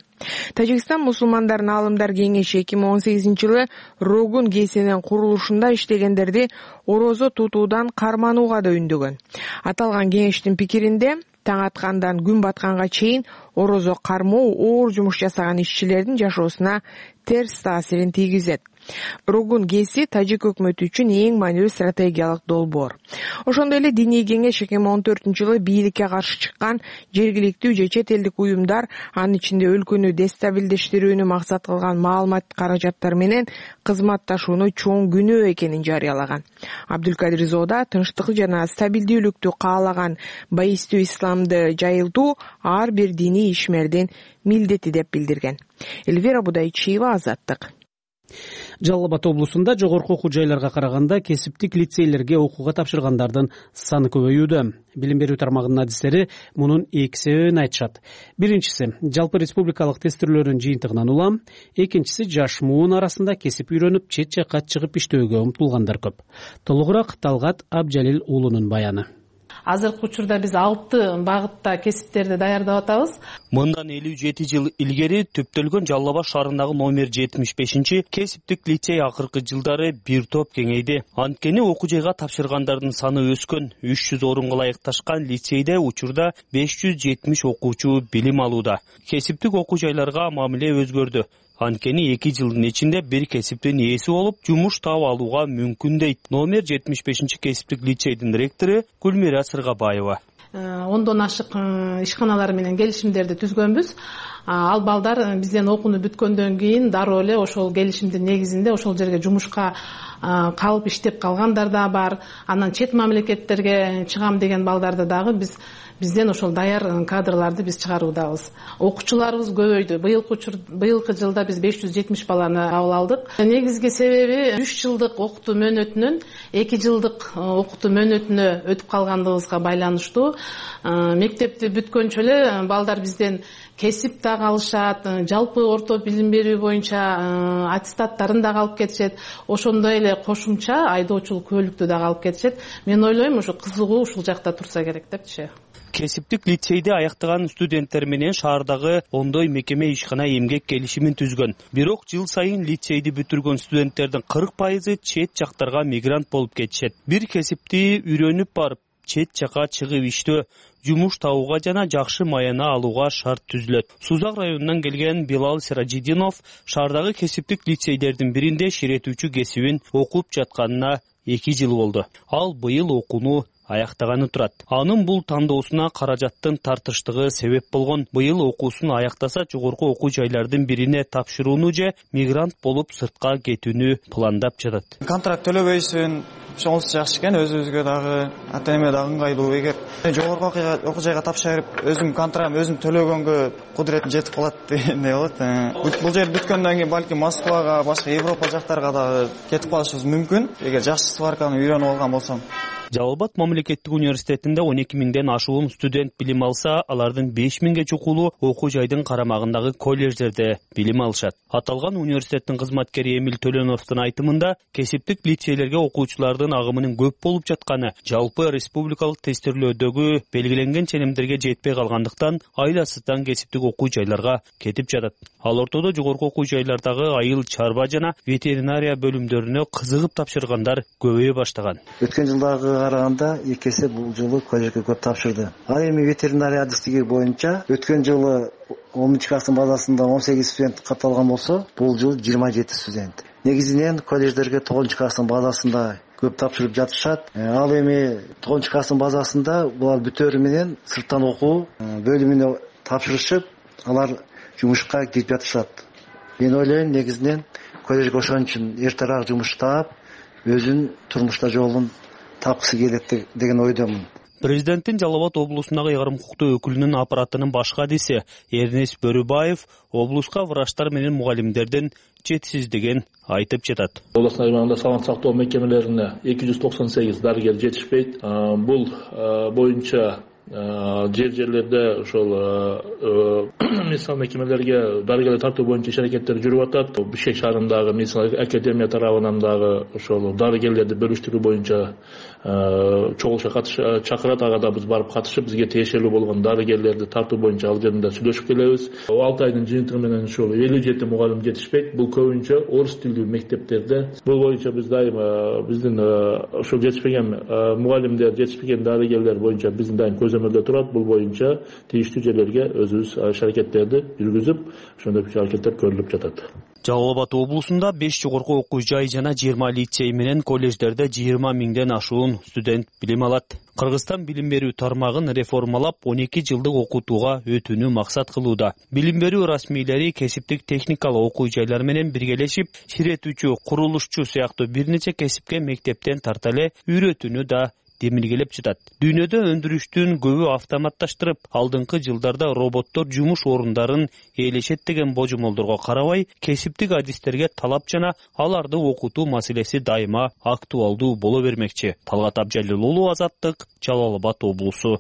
Тажикстан мусулмандардын Аалымдар кеңеши 2018-жылы Рогун КСнин курулушунда иштегендерди орозо тутуудан карманууга да үндөгөн. Аталган кеңештин пикиринде таң аткандан күн батканга чейин орозо кармоо оор жумуш жасаган ишчилердин жашоосуна терс таасирин тийгизет. Рогун КСи тажик өкмөтү үчүн эң маанилүү стратегиялык долбоор. Ошондой эле диний кеңеш 2014-жылы бийликке каршы чыккан жергиликтүү же чет элдик уюмдар, анын ичинде өлкөнү дестабилдештирүүнү максат кылган маалымат каражаттары менен кызматташууну чоң күнөө экенин жарыялаган. Абдулкадирзода тынчтык жана стабилдүүлүктү каалаган байистүү исламды жайылтуу ар бир диний ишмердин милдети деп билдирген. Эльвира Будайчиева, Азаттык. Жалал Абад облусунда жогорку окуу жайларга караганда кесиптик лицейлерге окууга тапшыргандардын саны көбөйүүдө. Билим берүү тармагынын адистери мунун эки себебин айтышат. Биринчиси жалпы республикалык тестирлөөрдүн жыйынтыгынан улам, экинчиси жаш муун арасында кесип үйрөнүп, чет жакка чыгып иштөөгө умтулгандар көп. Толугураак Талгат Абжалил уулунун баяны. Азыркы учурда биз 6 багытта кесиптерди даярдап атабыз. Мындан 57 жыл илгери төптөлгөн Жалал Абад шаарындагы номер 75 кесиптик лицей акыркы жылдары бир топ кеңейди. Анткени окуу жайга тапшыргандардын саны өскөн. 300 орунга ылайыкташкан лицейде учурда 570 окуучу билим алууда. Кесиптик окуу жайларга мамиле өзгөрдү. Анткени 2 жылдын ичинде бир кесиптин ээси болуп, жумуш таап алууга мүмкүн дейт номер 75 кесиптик лицейдин ректору Гүлмира Сыргабаева. Ондон ашык ишканалар менен келишимдерди түзгөнбүз. Ал балдар бизден окууну бүткөндөн кийин дароо эле ошол келишимдин негизинде ошол жерге жумушка калып иштеп калгандар да бар. Анан чет мамлекеттерге чыгам деген балдарды дагы бизден ошол даяр кадрларды биз чыгаруудабыз. Окуучуларыбыз көбөйдү. Быйылкы жылда биз 570 баланы кабыл алдык. Негизги себеби 3 жылдык окутуу мөөнөтүнөн 2 жылдык окутуу мөөнөтүнө өтүп калгандыгыбызга байланыштуу. Мектепти бүткөнчө эле балдар бизден кесип дагы алышат, жалпы орто билим берүү боюнча аттестаттарын дагы алып кетишет. Ошондой эле кошумча айдоочулук куөлүктү дагы алып кетишет. Мен ойлойм, ошо кызыгуу ушул жакта турса керек депчи. Кесиптик лицейди аяктаган студенттер менен шаардагы ондой мекеме ишкана эмгек келишимин түзгөн. Бирок жыл сайын лицейди бүтүргөн студенттердин 40% чет жактарга мигрант болуп кетишет. Бир кесипти үйрөнүп барып, чет жакка чыгып иштөө, жумуш табууга жана жакшы маяна алууга шарт түзүлөт. Сузак районунан келген Билал Сиражидинов шаардагы кесиптик лицейдердин биринде ширетүүчү кесибин окуп жатканына 2 жыл болду. Ал быйыл окууну аяктаганы турат. Анын бул тандоосуна каражаттын тартыштыгы себеп болгон. Быйыл окуусун аяктаса жогорку окуу жайлардын бирине тапшырууну же мигрант болуп сыртка кетүүнү пландап жатат. Контракт төлөбөйсүн, ошонусу жакшы экен, өзүбүзгө дагы ата-эне дагы ыңгайлуу. Эгер жогорку окуу жайга тапшырып, өзүм контрагым өзүм төлөгөнгө кудуретим жетип калат дегендей болот. Бул жер бүткөндөн кийин балким Москвага, башка Европа жактарга дагы кетип калышыбыз мүмкүн, эгер жакшы сварканы үйрөнүп алган болсом. Жалал Абад мамлекеттик университетинде 12 миңден ашуун студент билим алса, алардын 5 миңге чукулу окуу жайдын карамагындагы колледждерде билим алышат. Аталган университеттин кызматкери Эмил Төлөнөвдүн айтымында, кесиптик лицейлерге окуучулардын агымынын көп болуп жатканы жалпы республикалык тестирлөөдөгү белгиленген ченемдерге жетпей калгандыктан айласыздан кесиптик окуу жайларга кетип жатат. Ал ортодо жогорку окуу жайлардагы айыл чарба жана ветеринария бөлүмдөрүнө кызыгып тапшыргандар көбөйө баштаган. Өткөн жылдагы караганда эки эсе бул жылы коллежге көп тапшырды. Ал эми ветеринария адистиги боюнча өткөн жылы 10 класстын базасында 18 студент катталган болсо, бул жыл 27 студент. Негизинен коллеждерге 9 класстын базасында көп тапшырып жатышат. Ал эми 9 класстын базасында булар бүтөөрү менен сырттан окуу бөлүмүнө тапшырышып, алар жумушка кирип жатышат. Мен ойлойм, негизинен коллежге ошон үчүн эртерээк жумуш таап, өзүнүн турмушта жолун тапкысы келет деген ойдомун. Президенттин Жалал Абад облусундагы ыйгарым укуктуу өкүлүнүн аппаратынын башкы адиси Эрнест Бөрүбаев облуска врачтар менен мугалимдердин жетишсиздигин айтып жатат. Областын аймагында саламат сактоо мекемелерине 298 дарыгер жетишпейт. Бул боюнча жерлерде ошол медицина мекемелерге дарыгерлер тартуу боюнча иш аракеттер жүрүп атат. Бишкек шаарындагы медицина академия тарабынан дагы ошол дарыгерлерди бөлүштүрүү боюнча чогулушка чакырат. Ага да биз барып катышып, бизге тиешелүү болгон дарыгерлерди тартуу боюнча ал жеринде сүйлөшүп келебиз. 6 айдын жыйынтыгы менен ошол 57 мугалим жетишпейт. Бул көбүнчө орус тилдүү мектептерде. Бул боюнча биз дайыма биздин ошол жетишпеген мугалимдер, жетишпеген дарыгерлер боюнча биздин дайым көзөмөлдө турат. Бул боюнча тийиштүү жерлерге өзүбүз иш аракеттерди жүргүзүп, ошондой иш аракеттер көрүлүп жатат. Жалал Абад облусунда 5 жогорку окуу жай жана 20 лицей менен коллеждерде 20 миңден ашуун студент билим алат. Кыргызстан билим берүү тармагын реформалап 12 жылдык окутууга өтүүнү максат кылууда. Билим берүү расмийлери кесиптик техникалык окуу жайлар менен биргелешип, ширетүүчү, курулушчу сыяктуу бир нече кесипке мектептен тарта эле үйрөтүүнү да демиргелеп жатат. Дүйнөдө өндүрүштүн көбү автоматташтырып, алдыңкы жылдарда роботтор жумуш орундарын ээлешет деген божомолдорго карабай, кесиптик адистерге талап жана аларды окутуу маселеси дайыма актуалдуу боло бермекчи. Талгат Абжалил уулу, Азаттык, Жалал Абад облусу.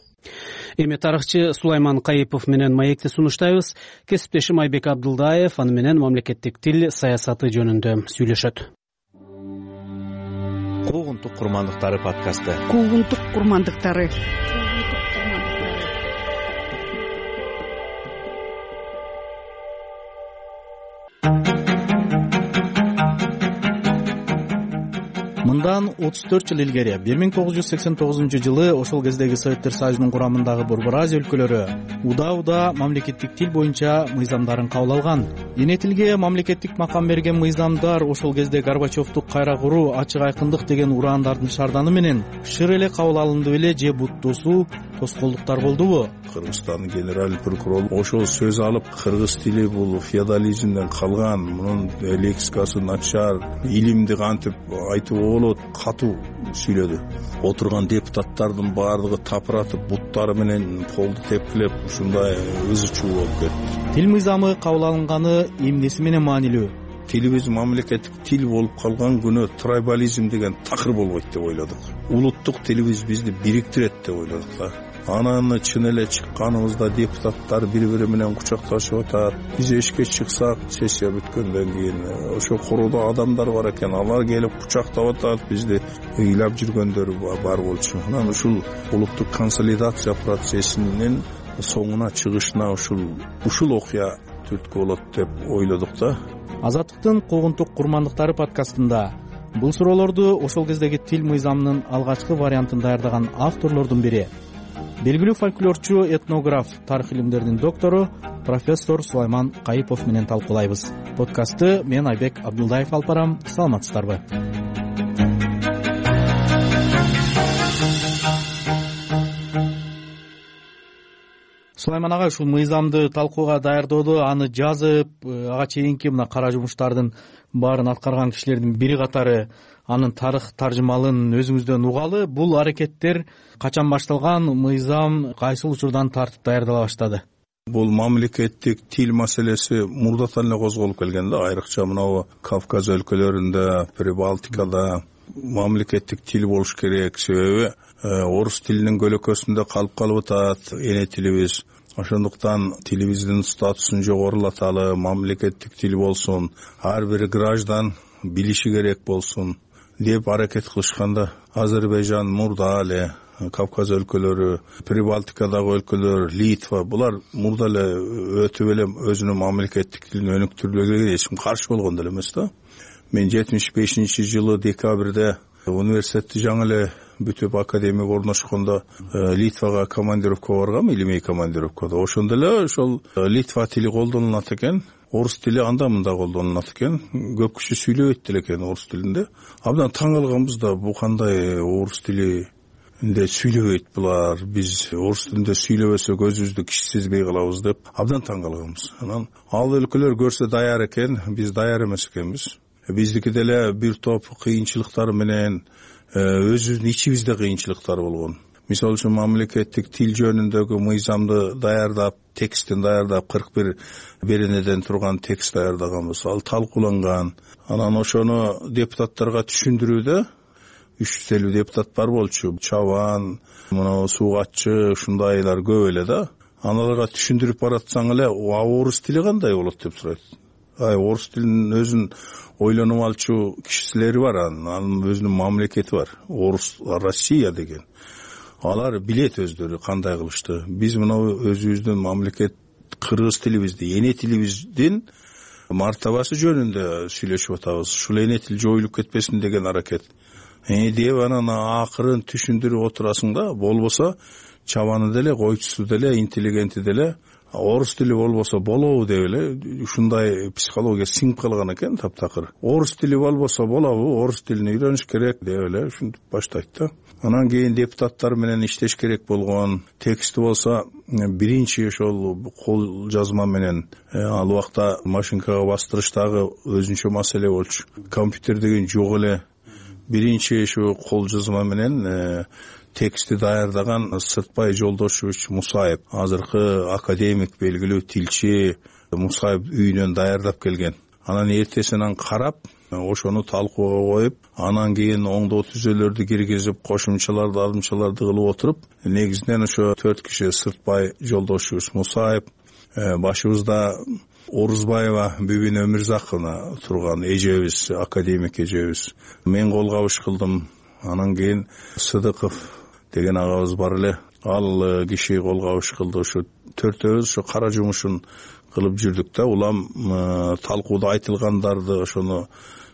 Эми тарыхчы Сулайман Кайыпов менен маекти сунуштайбыз. Кесиптешим Айбек Абдылдаев аны менен мамлекеттик тил саясаты жөнүндө сүйлөшөт. Куугунтук курмандыктары подкасты. Куугунтук курмандыктары. Мындан 34 жыл илгери 1989-жылы ошол кездеги Советтер Союзунун курамындагы Борбор Азия өлкөлөрү удаа мамлекеттик тил боюнча мыйзамдарын кабыл алган. Эне тилге мамлекеттик макам берген мыйзамдар ошол кезде Горбачевду кайра куруу, ачык айкындык деген ураандардын шарданы менен шыр эле кабыл алынды беле же буттуусу тоскоолдуктар болдубу? Кыргызстандын генералдык прокурору ошол сөз алып, кыргыз тили бул феодализмден калган, мунун лексикасы начар, илимди кантип айтып болот, катуу сүйлөдү. Отурган депутаттардын баардыгы тапыратып, буттары менен полду тепкилеп, ушундай ызы чуу болуп кетти. Тил мыйзамы кабыл алынганы эмнеси менен маанилүү? Тилибиз мамлекеттик тил болуп калган күнү трайбализм деген такыр болбойт деп ойлодук. Улуттук тилибиз бизди бириктирет деп ойлодук да. Анан чын эле чыкканыбызда депутаттар бири-бири менен кучакташып атат. Биз эшикке чыксак, сессия бүткөндөн кийин ошо короодо адамдар бар экен, алар келип кучактап атат, бизди ыйлап жүргөндөр бар болчу. Анан ушул улуттук консолидация процессинин соңуна чыгышына ушул окуя түрткү болот деп ойлодук да. Азаттыктын Куугунтук курмандыктары подкастында бул суроолорду ошол кездеги тил мыйзамынын алгачкы вариантын даярдаган авторлордун бири, белгилүү фольклорчу, этнограф, тарых илимдеринин доктору профессор Сулайман Кайыпов менен талкуулайбыз. Подкастты мен Айбек Абдылдаев алып барам. Саламатсыздарбы? Сулайман ага, ушул мыйзамды талкууга даярдоодо, аны жазып, ага чейинки мына кара жумуштардын баарын аткарган кишилердин бири катары анын тарых таржымалын өзүңүздөн угалы. Бул аракеттер качан башталган, мыйзам кайсыл учурдан тартып даярдала баштады? Бул мамлекеттик тил маселеси мурдатан эле козголуп келген да, айрыкча мына Кавказ өлкөлөрүндө, Прибалтикада мамлекеттик тил болуш керек. Себеби орус тилинин көлөкөсүндө калып атат эне тилибиз. Ошондуктан тилибиздин статусун жогорулаталы, мамлекеттик тил болсун, ар бир граждан билиши керек болсун деп аракет кылышканда, Азербайжан мурда эле, Кавказ өлкөлөрү, Прибалтикадагы өлкөлөр, Литва, булар мурда эле өтүп эле өзүнүн мамлекеттик тилин өнүктүрүүгө эч ким каршы болгон деле эмес да. Мен 75-жылы декабрда университетти жаңы эле бүтүп академияга орношкондо Литвага командировкага баргам, илимий командировкада. Ошондо эле ошол Литва тили колдонулат экен, орус тили анда-мында колдонулат экен. Көп киши сүйлөбөйт деле экен орус тилинде. Абдан таң калганбыз да, бу кандай орус тилинде сүйлөбөйт булар, биз орус тилинде сүйлөбөсөк өзүбүздү кичи сезбей калабыз деп абдан таң калганбыз. Анан ал өлкөлөр көрсө даяр экен, биз даяр эмес экенбиз. Биздики деле бир топ кыйынчылыктар менен өзүбүздүн ичибизде кыйынчылыктар болгон. Мисалы үчүн мамлекеттик тил жөнүндөгү мыйзамды даярдап, текстин даярдап, 41 беренеден турган текст даярдаганбыз. Ал талкууланган. Анан ошону депутаттарга түшүндүрүүдө 350 депутат бар болчу. Чабан, мына суугатчы, ушундайлар көп эле да. Аналарга түшүндүрүп баратсаң эле, орус тили кандай болот деп сурайт. Орус тилинин өзүн ойлонуп алчу кишилери бар, анын өзүнүн мамлекети бар. Орус Россия деген. Алар билет өздөрү кандай кылышты. Биз мына өзүбүздүн мамлекет кыргыз тилибизди, эне тилибиздин мартабасы жөнүндө сүйлөшүп атабыз. Ушул эне тил жоюлуп кетпесин деген аракет. Деп анан акырын түшүндүрүп отурасың да, болбосо чабаны деле, койчусу деле, интеллигенти деле орус тили болбосо болобу деп эле ушундай психология сиңип калган экен таптакыр. Орус тили болбосо болобу, орус тилин үйрөнүш керек деп эле ушинтип баштайт да. Анан кийин депутаттар менен иштеш керек болгон. Тексти болсо биринчи ошол кол жазма менен ал убакта машинкага бастырыштагы өзүнчө маселе болчу. Компьютер деген жок эле. Биринчи ушу кол жазма менен текстти даярдаган Сыртбай Жолдошевич Мусаев, азыркы академик, белгилүү тилчи Мусаев үйүнөн даярдап келген. Анан эртесинен карап, ошону талкууга коюп, анан кийин оңдоо түзөлөрдү киргизип, кошумчаларды, ардымчаларды кылып отуруп, негизинен ошо 4 киши Сыртбай Жолдошевич Мусаев, башыбызда Орузбаева Бүбүн Өмүрзаковна турган эжебиз, академик эжебиз. Мен кол кабыш кылдым. Анан кийин Сыдыков деген агабыз бар эле, ал киши кол кабыш кылды. Ошо төртөөбүз ошо кара жумушун кылып жүрдүк да. Улам талкууда айтылгандарды ошону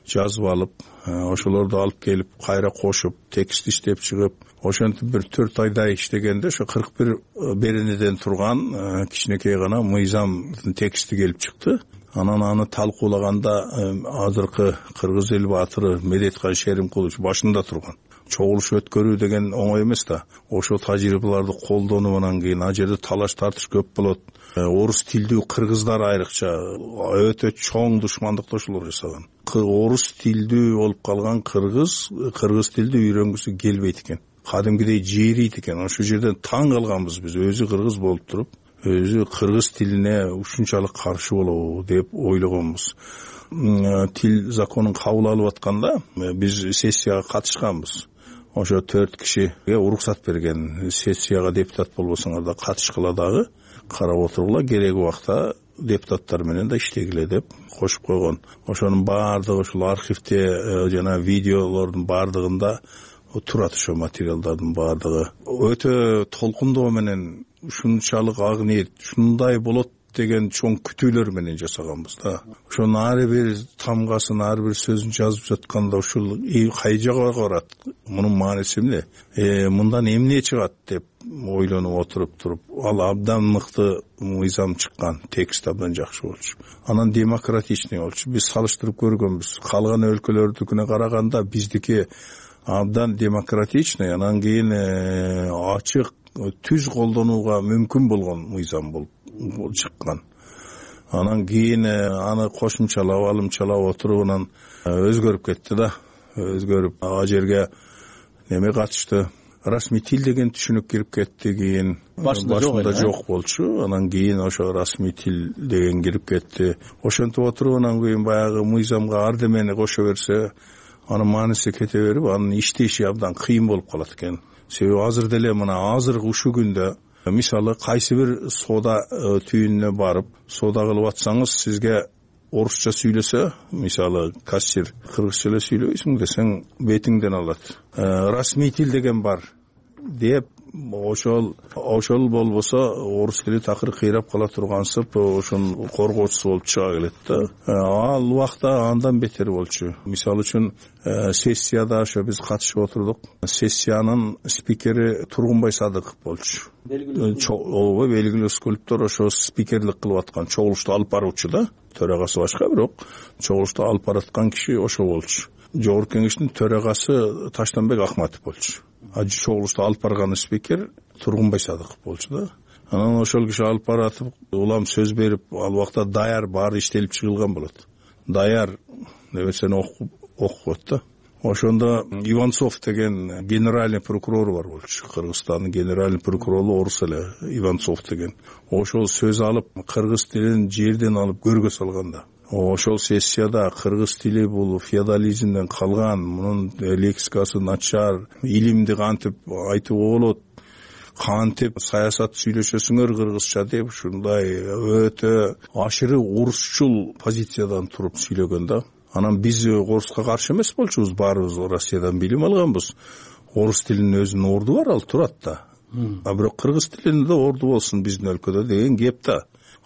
жазып алып, ошолорду алып келип кайра кошуп, текст иштеп чыгып, ошентип бир 4 айдай иштегенде ошо 41 беренеден турган кичинекей гана мыйзамдын тексти келип чыкты. Анан аны талкуулаганда азыркы кыргыз эл баатыры Медеткан Шеримкулович башында турган. Чогулуш өткөрүү деген оңой эмес да. Ошо тажрыйбаларды колдонуп, кийин ал жерде талаш тартыш көп болот. Орус тилдүү кыргыздар айрыкча өтө чоң душмандыкташуулар жасаган. Орус тилдүү болуп калган кыргыз тилди үйрөнгүсү келбейт экен. Кадимгидей жээрийт экен. Ошол жерден таң калганбыз биз, өзү кыргыз болуп туруп, өзү кыргыз тилине ушунчалык каршы болобу деп ойлогонбуз. Тил законун кабыл алып атканда биз сессияга катышканбыз. Ошо 4 кишиге уруксат берген. Сессияга депутат болбосоңор да катышкыла дагы, карап отургула, кереги убакта депутаттар менен да иштегиле деп кошуп койгон. Ошонун баардыгы ушул архивде жана видеолордун баардыгында турат, ошо материалдардын баардыгы. Өтө толкундоо менен ушунчалык ак ниет, ушундай болот деген чоң күтүүлөр менен жасаганбыз да. Ошонун ар бир тамгасын, ар бир сөзүн жазып жатканда ушул кай жака барат, мунун мааниси эмне, мындан эмне чыгат деп ойлонуп отуруп туруп, ал абдан мыкты мыйзам чыккан, текст абдан жакшы болчу. Анан демократичный болчу. Биз салыштырып көргөнбүз. Калган өлкөлөрдүкүнө караганда биздики абдан демократичный, анан кийин ачык, түз колдонууга мүмкүн болгон мыйзам болуп чыккан. Анан кийин аны кошумчалап, алымчалап отуруп, анан өзгөрүп кетти да. Өзгөрүп, ал жерге неме катышты, расмий тил деген түшүнүк кирип кетти. Кийин башында жок болчу. Анан кийин ошо расмий тил деген кирип кетти. Ошентип отуруп, анан кийин баягы мыйзамга ардемени кошо берсе, анын мааниси кете берип, анын иштеши абдан кыйын болуп калат экен. Себеби азыр деле мына азыркы ушул күндө мисалы кайсы бир соода түйүнүнө барып, соода кылып атсаңыз, сизге орусча сүйлөсө, мисалы кассир кыргызча эле сүйлөбөйсүң десең, бетиңден алат. Расмий тил деген бар деп, ошол болбосо орус тили такыр кыйрап кала тургансып, ошонун коргоочусу болуп чыга келет да. Ал убакта андан бетер болчу. Мисалы үчүн сессияда ошо биз катышып отурдук. Сессиянын спикери Тургунбай Садыков болчу. Белгилүү скульптор, ошо спикерлик кылып аткан, чогулушту алып баруучу да. Төрагасы башка, бирок чогулушту алып бараткан киши ошо болчу. Жогорку кеңештин төрагасы Таштанбек Акматов болчу. Чогулушту алып барган спикер Тургунбай Садыков болчу да. Анан ошол киши алып баратып, улам сөз берип, ал убакта даяр баары иштелип чыгылган болот. Даяр нерсени окуп да. Ошондо Иванцов деген генеральный прокурор бар болчу. Кыргызстандын генеральный прокурору орус эле, Иванцов деген. Ошол сөз алып, кыргыз тилин жерден алып көргө салганда. Ошол сессияда кыргыз тили бул феодализмден калган, мунун лексикасы начар, илимди кантип айтууга болот, кантип саясат сүйлөшөсүңөр кыргызча деп, ушундай өтө ашыры орусчул позициядан туруп сүйлөгөн да. Анан биз оруска каршы эмес болчубуз, баарыбыз Россиядан билим алганбыз. Орус тилинин өзүнүн орду бар, ал турат да. А бирок кыргыз тилинде орду болсун биздин өлкөдө деген кеп да.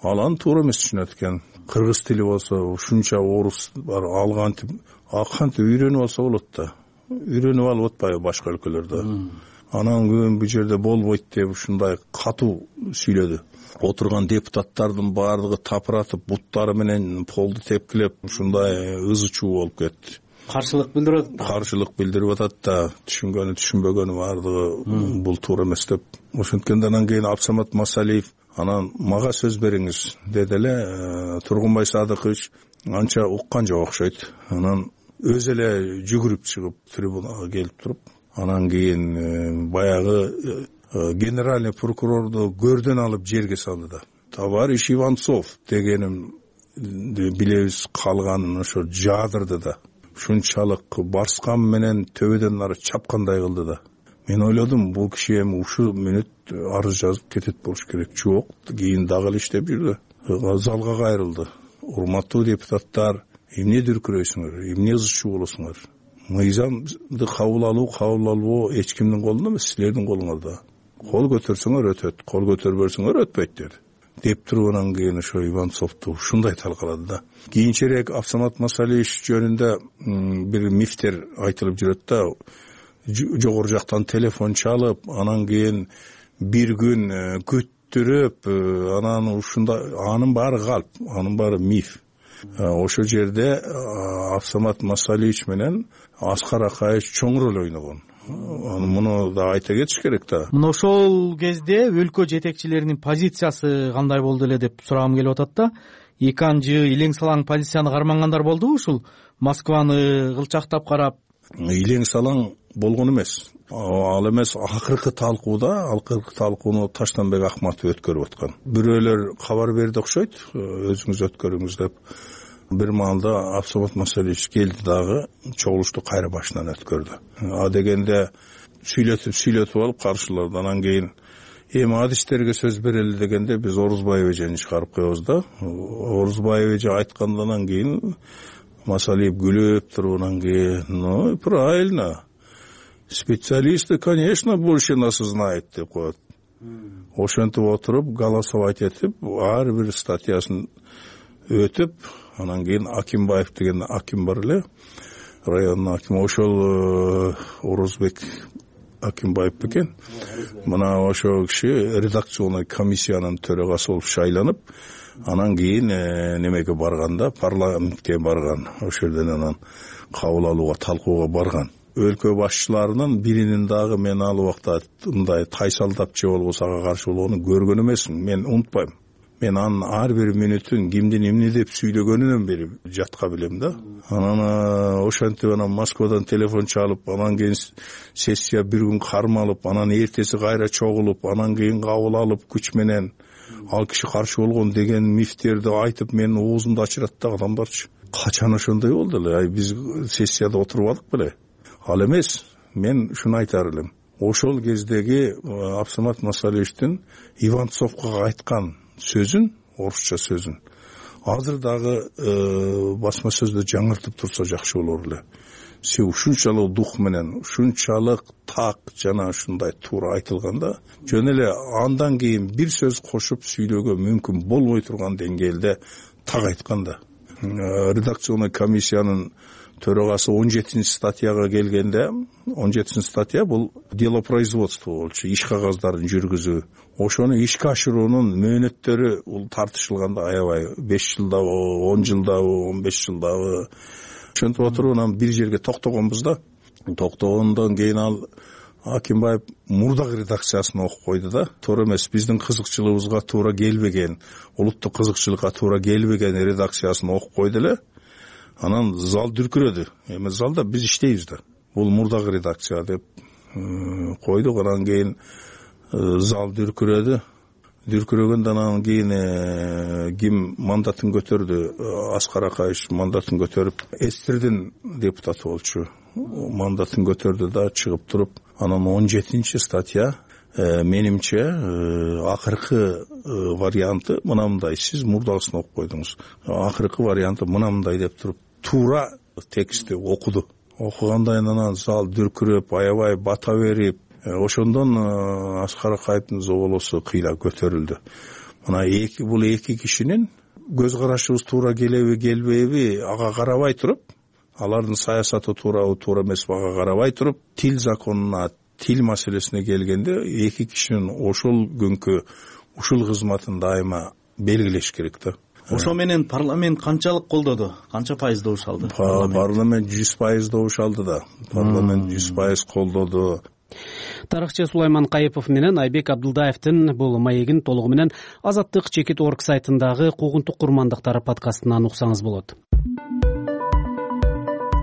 Ал аны туура эмес түшүнөт экен. Кыргыз тили болсо ушунча орус бар, ал кантип үйрөнүп алса болот да. Үйрөнүп алып атпайбы башка өлкөлөрдө. Анан күн бу жерде болбойт деп ушундай катуу сүйлөдү. Отурган депутаттардын баардыгы тапыратып, буттары менен полду тепкилеп, ушундай ызы чуу болуп кетти. Каршылык билдирип атат да, түшүнгөнү түшүнбөгөнү баардыгы бул туура эмес деп. Ошенткенде анан кийин Абсамат Масалиев анан мага сөз бериңиз деди эле. Тургунбай Садыкович анча уккан жок окшойт. Анан өзү эле жүгүрүп чыгып трибунага келип туруп, анан кийин баягы генеральный прокурорду көрдөн алып жерге салды да. Товарищ Иванцов дегеним билебиз, калганын ошо жаадырды да. Ушунчалык барскан менен төбөдөн нары чапкандай кылды да. Мен ойлодум, бул киши эми ушул мүнөт арыз жазып кетет болуш керек. Жок, кийин дагы эле иштеп жүрдү. Залга кайрылды. Урматтуу депутаттар, эмне дүркүрөйсүңөр, эмне ызчуу болосуңар? Мыйзамды кабыл алуу эч кимдин колунда эмес, силердин колуңарда. Кол көтөрсөңөр өтөт, кол көтөрбөсөңөр өтпөйт деди. Деп туруп анан кийин ошо Иванцовду ушундай талкалады да. Кийинчерээк Абсамат Масалиевич жөнүндө бир мифтер айтылып жүрөт да. Жогору жактан телефон чалып, анан кийин бир күн күттүрүп, анан ушундай, анын баары калп, анын баары миф. Ошол жерде Абсамат Масалиевич менен Аскар Акаевич чоң роль ойногон. Муну да айта кетиш керек да. Мына ошол кезде өлкө жетекчилеринин позициясы кандай болду эле деп сурагым келип атат да. Эки анжы илең салаң позицияны кармангандар болдубу ушул? Москваны кылчактап карап. Илең салаң болгон эмес. Ал эмес, акыркы талкууну Таштанбек Акматов өткөрүп аткан. Бирөөлөр кабар берди окшойт, өзүңүз өткөрүңүз деп. Бир маалда Абсамат Масалиевич келди дагы, чогулушту кайра башынан өткөрдү. А дегенде сүйлөтүп алып каршыларды. Анан кийин эми адистерге сөз берели дегенде биз Орузбаев эжени чыгарып коебуз да. Орузбаев эже айткандан кийин Масалиев күлүп туруп, анан кийин, ну, правильно. Специалисты, конечно, больше нас знает деп коет. Ошентип отуруп, голосовать этип, ар бир статьясын өтүп, анан кийин Акимбаев деген аким бар эле, райондун акими, ошол Орузбек Акимбаев бекен. Мына ошол киши редакционный комиссиянын төрагасы болуп шайланып, анан кийин немеге барганда, парламентке барган. Ошол жерден анан кабыл алууга, талкууга барган. Өлкө башчыларынын биринин дагы мен ал убакта мындай тайсалдап же болбосо ага каршы болгонун көргөн эмесмин. Мен унутпайм. Мен анын ар бир мүнөтүн кимдин эмне деп сүйлөгөнүнөн бери жатка билем да. Анан ошентип анан Москвадан телефон чалып, анан кийин сессия бир күн кармалып, анан эртеси кайра чогулуп, анан кийин кабыл алып күч менен ал киши каршы болгон деген мифтерди айтып менин оозумду ачырат да адамдарчы. Качан ошондой болду эле? Биз сессияда отурбадык беле? Ал эмес, мен ушуну айтар элем. Ошол кездеги Абсамат Масалиевичтин Иванцовго айткан сөзүн, орусча сөзүн, азыр дагы басма сөздө жаңыртып турса жакшы болор эле. Се ушунчалык дух менен, ушунчалык так жана ушундай туура айтылганда, жөн эле андан кийин бир сөз кошуп сүйлөөгө мүмкүн болбой турган деңгээлде так айтканда. Редакционный комиссиянын төрагасы 17 статьяга келгенде, 17 статья бул дело производства болчу, иш кагаздарын жүргүзүү. Ошону ишке ашыруунун мөөнөттөрү бул тартышылганда аябай 5 жылдабы, 10 жылдабы, 15 жылдабы. Ошентип отуруп анан бир жерге токтогонбуз да. Токтогондон кийин ал Акимбаев мурдагы редакциясын окуп койду да. Туура эмес, биздин кызыкчылыгыбызга туура келбеген, улуттук кызыкчылыкка туура келбеген редакциясын окуп койду эле. Анан зал дүркүрөдү. Эми залда биз иштейбиз да. Бул мурдагы редакция деп койдук. Анан кийин зал дүркүрөдү. Дүркүрөгөндөн анан кийин ким мандатын көтөрдү? Аскар Акаевич мандатын көтөрүп, СССРдин депутаты болчу. Мандатын көтөрдү да чыгып туруп, анан 17 статья менимче акыркы варианты мынандай. Сиз мурдагысын окуп койдуңуз. Акыркы варианты мынандай деп туруп, туура текстти окуду. Окугандан анан зал дүркүрөп, аябай бата берип, ошондон Аскар Акаевдин зоболосу кыйла көтөрүлдү. Мына бул эки кишинин көз карашыбыз туура келеби, келбейби ага карабай туруп, алардын саясаты туурабы, туура эмеспи ага карабай туруп, тил законуна, тил маселесине келгенде эки кишинин ошол күнкү ушул кызматын дайыма белгилеш керек да. Ошо менен парламент канчалык колдоду? Канча пайыз добуш алды? Парламент 100% добуш алды да. Парламент 100% колдоду. Тарыхчы Сулайман Кайыпов менен Айбек Абдылдаевдин бул маегин толугу менен Азаттык Чекит.org сайтындагы Куугунтук курмандыктары подкастынан уксаңыз болот.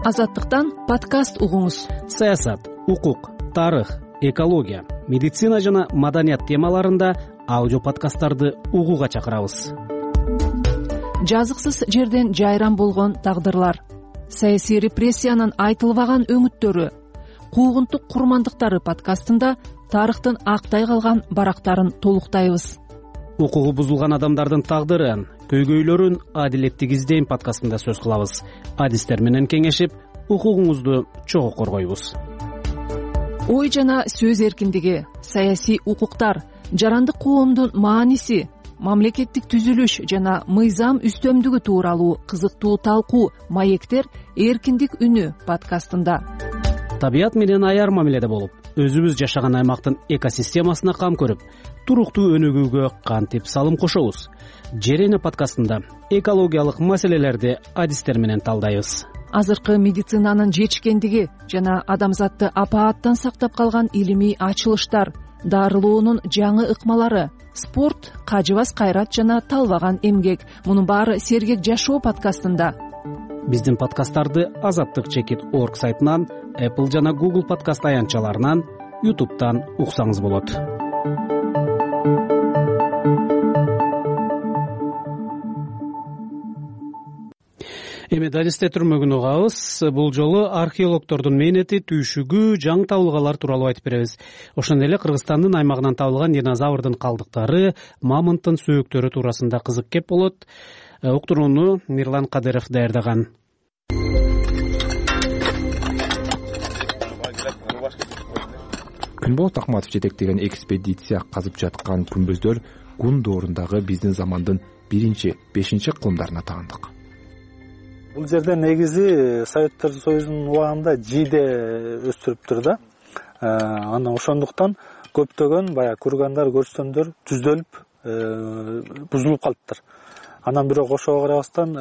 Азаттыктан подкаст угуңуз. Саясат, укук, тарых, экология, медицина жана маданият темаларында аудио подкасттарды угууга чакырабыз. Жазыксыз жерден жайран болгон тагдырлар, саясий репрессиянын айтылбаган өңүттөрү, куугунтук курмандыктары подкастында тарыхтын актай калган барактарын толуктайбыз. Укугу бузулган адамдардын тагдырын, көйгөйлөрүн адилеттик издейм подкастында сөз кылабыз. Адистер менен кеңешип, укугуңузду чогуу коргойбуз. Ой жана сөз эркиндиги, саясий укуктар, жарандык коомдун мааниси, мамлекеттик түзүлүш жана мыйзам үстөмдүгү тууралуу кызыктуу талкуу маектер эркиндик үнү подкастында. Табият менен аяр мамиледе болуп, өзүбүз жашаган аймактын экосистемасына кам көрүп, туруктуу өнүгүүгө кантип салым кошобуз? Жер эне подкастында экологиялык маселелерди адистер менен талдайбыз. Азыркы медицинанын жетишкендиги жана адамзатты апааттан сактап калган илимий ачылыштар, дарылоонун жаңы ыкмалары, спорт, кажыбас кайрат жана талбаган эмгек. Мунун баары сергек жашоо подкастында. Биздин подкасттарды azattik.org сайтынан, Apple жана Google подкаст аянтчаларынан, YouTube'дан уксаңыз болот. Эми Далисте түрмөгүн угабыз. Бул жолу археологдордун мээнети, түйшүгү, жаңы табылгалар тууралуу айтып беребиз. Ошондой эле Кыргызстандын аймагынан табылган динозаврдын калдыктары, мамонттун сөөктөрү туурасында кызык кеп болот. Уктурууну Мирлан Кадыров даярдаган. Күнболот Акматов жетектеген экспедиция казып жаткан күмбөздөр Гун доорундагы биздин замандын 1-5 кылымдарына таандык. Бул жерде негизи Советтер Союзунун убагында жийде өстүрүптүр да. Анан ошондуктан көптөгөн баягы кургандар, көрстөндөр түздөлүп, бузулуп калыптыр. Анан бирок ошого карабастан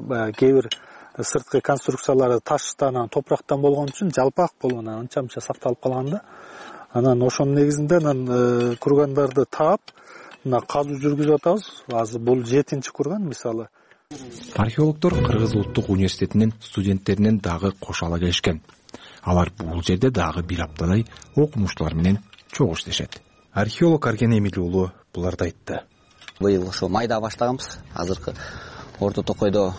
баягы кээ бир сырткы конструкциялары таштан, топурактан болгон үчүн жалпак болгон, анча-мынча сакталып калган да. Анан ошонун негизинде кургандарды таап, мына казуу жүргүзүп атабыз. Азыр бул 7-чи курган мисалы. Археологдор Кыргыз улуттук университетинин студенттеринен дагы кошо келишкен. Алар бул жерде дагы бир аптадай окумуштуулар менен чогуу иштешет. Археолог Арген Эмиль уулу буларды айтты. Быйыл ошо майда баштаганбыз. Азыркы Орто Токойдо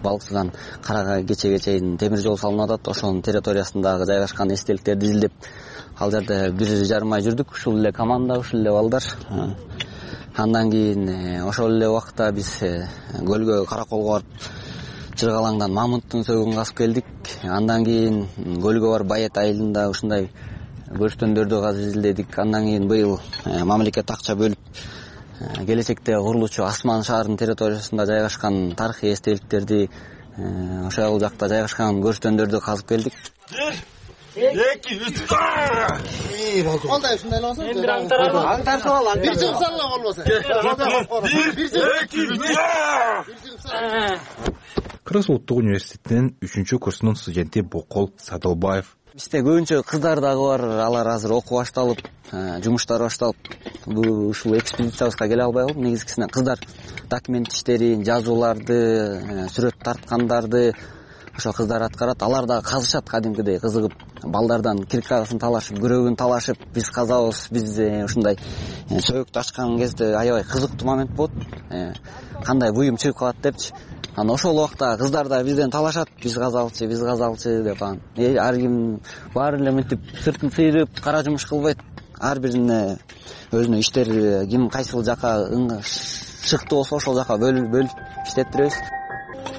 Балксыдан Карага кечеге чейин темир жол салынып атат. Ошонун территориясындагы жайгашкан эстеликтерди изилдеп, ал жерде 1,5 ай жүрдүк. Ушул эле команда, ушул эле балдар. Андан кийин ошол эле убакта биз көлгө Караколго барып Чыргалаңдан мамонттун сөөгүн казып келдик. Андан кийин көлгө барып Байет айылында ушундай көрстөндөрдү казып изилдедик. Андан кийин быйыл мамлекет акча бөлүп келечекте курулуучу Асман шаарынын территориясында жайгашкан тарыхый эстеликтерди, ошол жакта жайгашкан көрстөндөрдү казып келдик. 2-3 Кандай ушундай эле болсо? Эми аңтарып ал, бир жыл салла болбосо. 1 Кыргыз улуттук университетинин 3-курсунун студенти Бокол Садылбаев. Бизде көбүнчө кыздар дагы бар, алар азыр окуу башталып, жумуштары башталып, ушул экспедициябызга келе албай калып, негизгисинен кыздар документ иштерин, жазууларды, сүрөт тарткандарды ошо кыздар аткарат. Алар дагы казышат кадимкидей кызыгып, балдардан киркагасын талашып, күрөгүн талашып, биз казабыз, биз ушундай сөөктү ачкан кезде аябай кызыктуу момент болот. Кандай буюм чыгып калат депчи. Анан ошол убакта кыздар да бизден талашат, биз казалчы деп анан. Ар ким баары эле мынтип сыртын сыйрып, кара жумуш кылбайт. Ар бирине өзүнүн иштери ким кайсыл жака шыктуу болсо ошол жака бөлүп иштеттиребиз.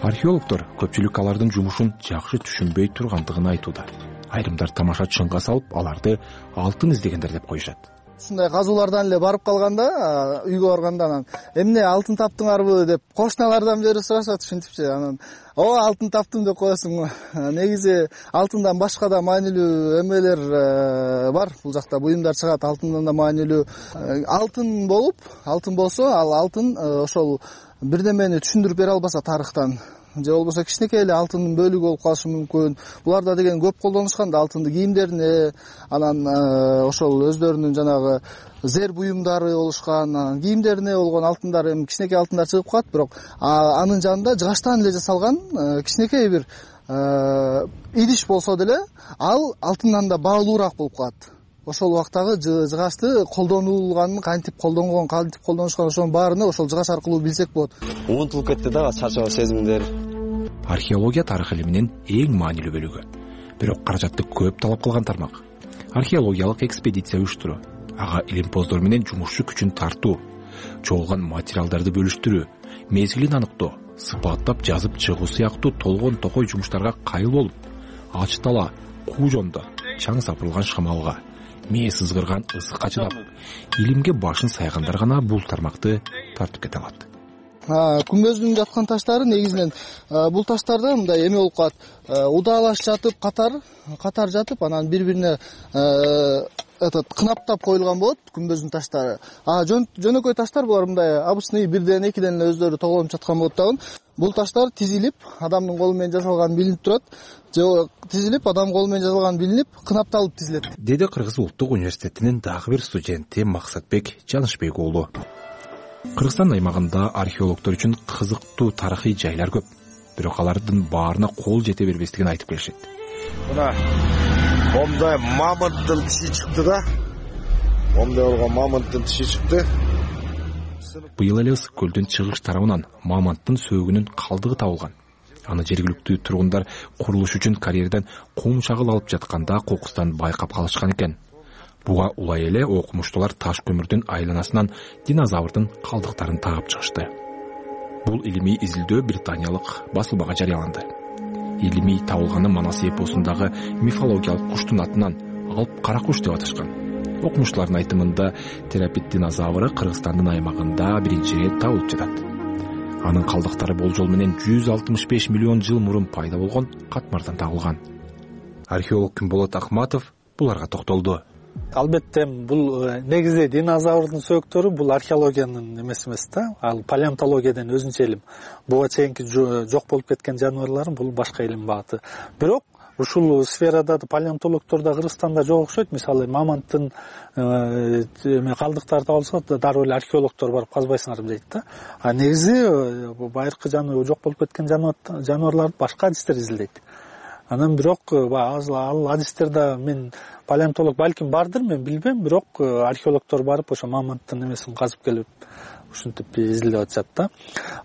Археологдор көпчүлүк алардын жумушун жакшы түшүнбөй тургандыгын айтууда. Айрымдар тамаша чыңга салып, аларды алтын издегендер деп коюшат. Ушундай казуулардан эле барып калганда, үйгө барганда анан эмне алтын таптыңарбы деп кошуналардан бери сурашат, ушинтипчи. Анан алтын таптым деп коесуң. Негизи алтындан башка да маанилүү эмелер бар. Бул жакта буюмдар чыгат, алтындан да маанилүү. Алтын болсо, ал алтын ошол бирдемени түшүндүрүп бере албаса тарыхтан, же болбосо кичинекей эле алтындын бөлүгү болуп калышы мүмкүн. Буларда деген көп колдонушкан да, алтынды кийимдерине, анан ошол өздөрүнүн жанагы зер буюмдары болушкан, кийимдерине болгон алтындар, эми кичинекей алтындар чыгып калат, бирок анын жанында жыгачтан эле жасалган кичинекей бир идиш болсо деле ал алтындан да баалуураак болуп калат. Ошол убактагы жыгачты колдонулганын, кантип колдонгон, кантип колдонушкан, ошонун баарына ошол жыгач аркылуу билсек болот. Унутулуп кетти да чачоо сезимдер. Археология тарых илиминин эң маанилүү бөлүгү. Бирок каражатты көп талап кылган тармак. Археологиялык экспедиция уюштуруу, ага илимпоздор менен жумушчу күчүн тартуу, чогулган материалдарды бөлүштүрүү, мезгилин аныктоо, сыпаттап жазып чыгуу сыяктуу толгон токой жумуштарга кайыл болуп, ач дала, куу жондо, чаң сапырылган шамалга, мээ сызгырган ысыкка чыдап, илимге башын сайгандар гана бул тармакты тартып кете алат. Күмбөздүн жаткан таштары негизинен бул таштарда мындай эме болуп калат. Удаалаш жатып, катар жатып, анан бири-бирине кынаптап коюлган болот күмбөздүн таштары. Жөнөкөй таштар булар мындай обычный бирден, экиден эле өздөрү тоголонуп жаткан болот дагы. Бул таштар тизилип, адамдын колу менен жасалган билинип турат. Же тизилип, адам колу менен жасалган билинип, кынапталып тизилет. Деди Кыргыз улуттук университетинин дагы бир студенти Максатбек Жанышбек уулу. Кыргызстан аймагында археологдор үчүн кызыктуу тарыхый жайлар көп. Бирок алардын баарына кол жете бербестигин айтып келишет. Мына момдай мамонттун тиши чыкты да. Момдай болгон мамонттун тиши чыкты. Быйыл эле Ысык көлдүн чыгыш тарабынан мамонттун сөөгүнүн калдыгы табылган. Аны жергиликтүү тургундар курулуш үчүн карьерден кум чагыл алып жатканда кокустан байкап калышкан экен. Буга улай эле окумуштуулар таш көмүрдүн айланасынан динозаврдын калдыктарын таап чыгышты. Бул илимий изилдөө британиялык басылмага жарыяланды. Илимий табылганы Манас эпосундагы мифологиялык куштун атынан алып кара куш деп аташкан. Окумуштуулардын айтымында терапит динозавры Кыргызстандын аймагында биринчи ирет табылып жатат. Анын калдыктары болжол менен 165 миллион жыл мурун пайда болгон катмардан табылган. Археолог Күнболот Акматов буларга токтолду. Албетте бул негизи динозаврдын сөөктөрү бул археологиянын эмеси эмес да, ал палеонтологиядан өзүнчө илим. Буга чейинки жок болуп кеткен жаныбарлар бул башка илим багыты. Бирок ушул сферада палеонтологдор да Кыргызстанда жок окшойт. Мисалы мамонттун калдыктары табылса дароо эле археологдор барып казбайсыңар дейт да. А негизи байыркы жок болуп кеткен жаныбарларды башка адистер изилдейт. Анан бирок ал адистерде мен палеонтолог балким бардыр, мен билбейм, бирок археологдор барып ошо мамонттун эмесин казып келип ушинтип изилдеп атышат да.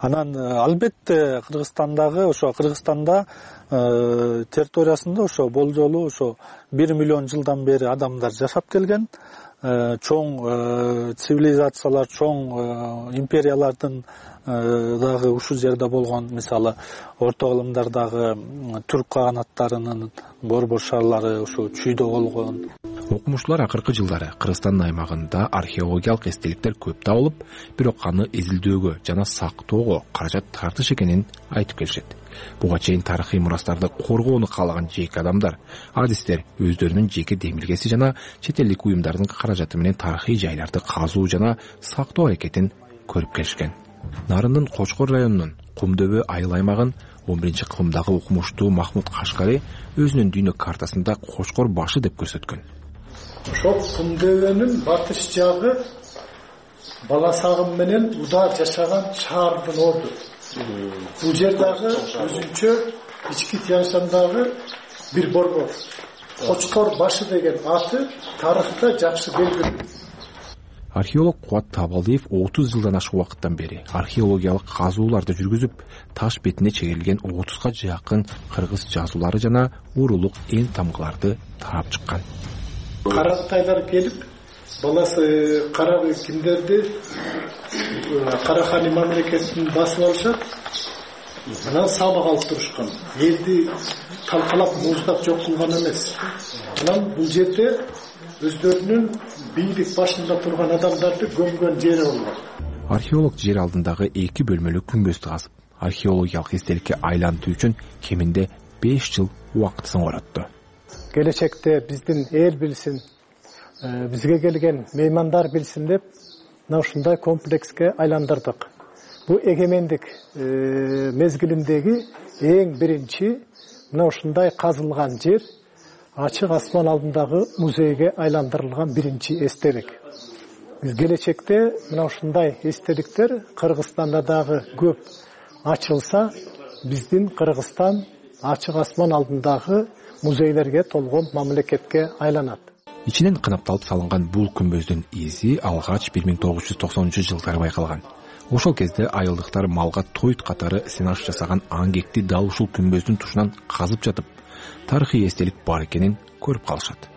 Анан албетте Кыргызстанда территориясында ошо болжолу ошо 1 миллион жылдан бери адамдар жашап келген. Чоң цивилизациялар, чоң империялардын дагы ушул жерде болгон, мисалы орто кылымдардагы түрк каганаттарынын борбор шаарлары ошо чүйдө болгон. Окумуштуулар акыркы жылдары Кыргызстан аймагында археологиялык эстеликтер көп табылып, бирок аны изилдөөгө жана сактоого каражат тартыш экенин айтып келишет. Буга чейин тарыхый мурастарды коргоону каалаган жеке адамдар, адистер өздөрүнүн жеке демилгеси жана чет элдик уюмдардын каражаты менен тарыхый жайларды казуу жана сактоо аракетин көрүп келишкен. Нарындын Кочкор районунун Кумдөбө айыл аймагын 11-кылымдагы окумуштуу Махмуд Кашкари өзүнүн дүйнө картасында Кочкор башы деп көрсөткөн. Ошол Кумдөбөнүн батыш жагы Баласагым менен Удар жашаган шаардын орду. Бул жер дагы өзүнчө ички Тянь-Шандагы бир борбор. Кочкор башы деген аты тарыхта жакшы белгилүү. Археолог Кубат Табалдиев 30 жылдан ашык убакыттан бери археологиялык казууларды жүргүзүп, таш бетине чегерилген 30га жакын кыргыз жазуулары жана урулук эн тамгаларды таап чыккан. Каратайлар келип, баласы кара кимдерди Карахани мамлекетин басып алышат. Анан сабак алып турушкан. Элди талкалап муздап жок кылган эмес. Анан бул жерде өздөрүнүн бийлик башында турган адамдарды көмгөн жери болгон. Археолог жер алдындагы 2 бөлмөлүү күмбөздү казып, археологиялык эстеликке айлантуу үчүн кеминде 5 жыл убакытын коротду. Келечекте биздин эл билсин, бизге келген меймандар билсин деп мына ушундай комплекске айландырдык. Бу эгемендик мезгилиндеги эң биринчи мына ушундай казылган жер ачык асман алдындагы музейге айландырылган биринчи эстелик. Биз келечекте мына ушундай эстеликтер Кыргызстанда дагы көп ачылса, биздин Кыргызстан ачык асман алдындагы музейлерге толгон мамлекетке айланат. Ичинен кынапталып салынган бул күмбөздүн изи алгач 1990-жылдары байкалган. Ошол кезде айылдыктар малга тоют катары сенаж жасаган аңгекти дал ушул күмбөздүн тушунан казып жатып, тарыхый эстелик бар экенин көрүп калышат.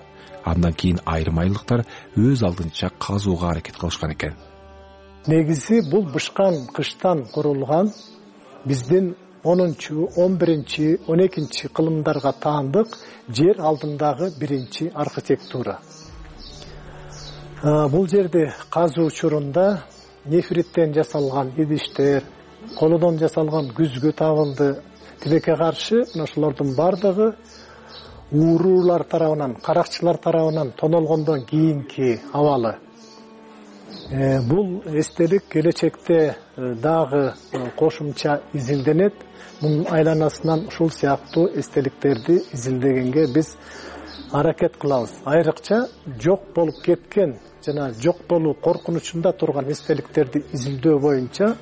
Андан кийин айрым айылдыктар өз алдынча казууга аракет кылышкан экен. Негизи бул бышкан кыштан курулган биздин 10-11, 12 кылымдарга таандык жер алдындагы биринчи архитектура. Бул жерде казуу учурунда нефриттен жасалган идиштер, колодон жасалган күзгү табылды. Тилекке каршы ошолордун бардыгы уурулар тарабынан, каракчылар тарабынан тонолгондон кийинки абалы. Бул эстелик келечекте дагы кошумча изилденет. Мунун айланасынан ушул сыяктуу эстеликтерди изилдегенге биз аракет кылабыз. Айрыкча жок болуп кеткен жана жок болуу коркунучунда турган эстеликтерди изилдөө боюнча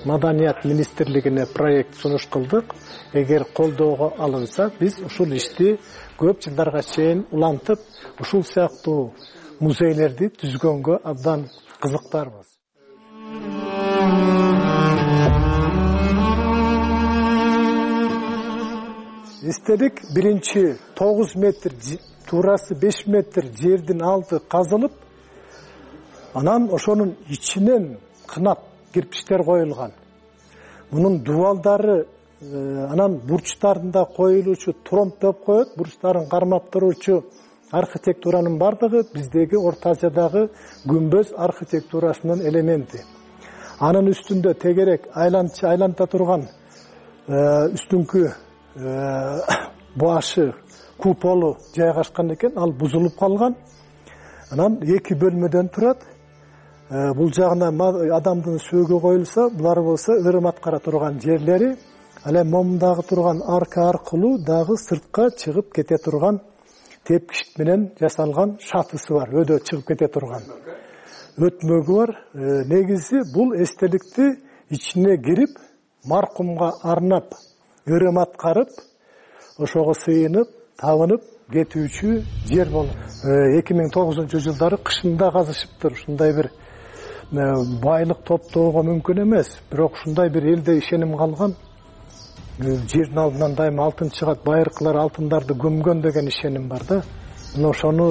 Маданият министрлигине проект сунуш кылдык. Эгер колдоого алынса, биз ушул ишти көп жылдарга чейин улантып, ушул сыяктуу музейлерди түзгөнгө абдан кызыктарбыз. Эстелик биринчи 9 метр, туурасы 5 метр жердин алды казылып, анан ошонун ичинен кынап кирпичтер коюлган. Мунун дубалдары анан бурчтарында коюлуучу тромб деп коет, бурчтарын кармап туруучу архитектуранын бардыгы биздеги Орто Азиядагы күмбөз архитектурасынын элементи. Анын үстүндө тегерек айланта турган үстүңкү башы куполу жайгашкан экен, ал бузулуп калган. Анан 2 бөлмөдөн турат. Бул жагына адамдын сөөгү коюлса, булар болсо ырым аткара турган жерлери, ал эми момундагы турган арка аркылуу дагы сыртка чыгып кете турган тепкич менен жасалган шатысы бар, өдө чыгып кете турган өтмөгү бар. Негизи бул эстеликти ичине кирип, маркумга арнап ырым аткарып, ошого сыйынып, табынып кетүүчү жер болуп. 2009-жылдары кышында казышыптыр. Ушундай бир байлык топтоого мүмкүн эмес, бирок ушундай бир элде ишеним калган. Жердин алдынан дайыма алтын чыгат, байыркылар алтындарды көмгөн деген ишеним бар да. Мына ошону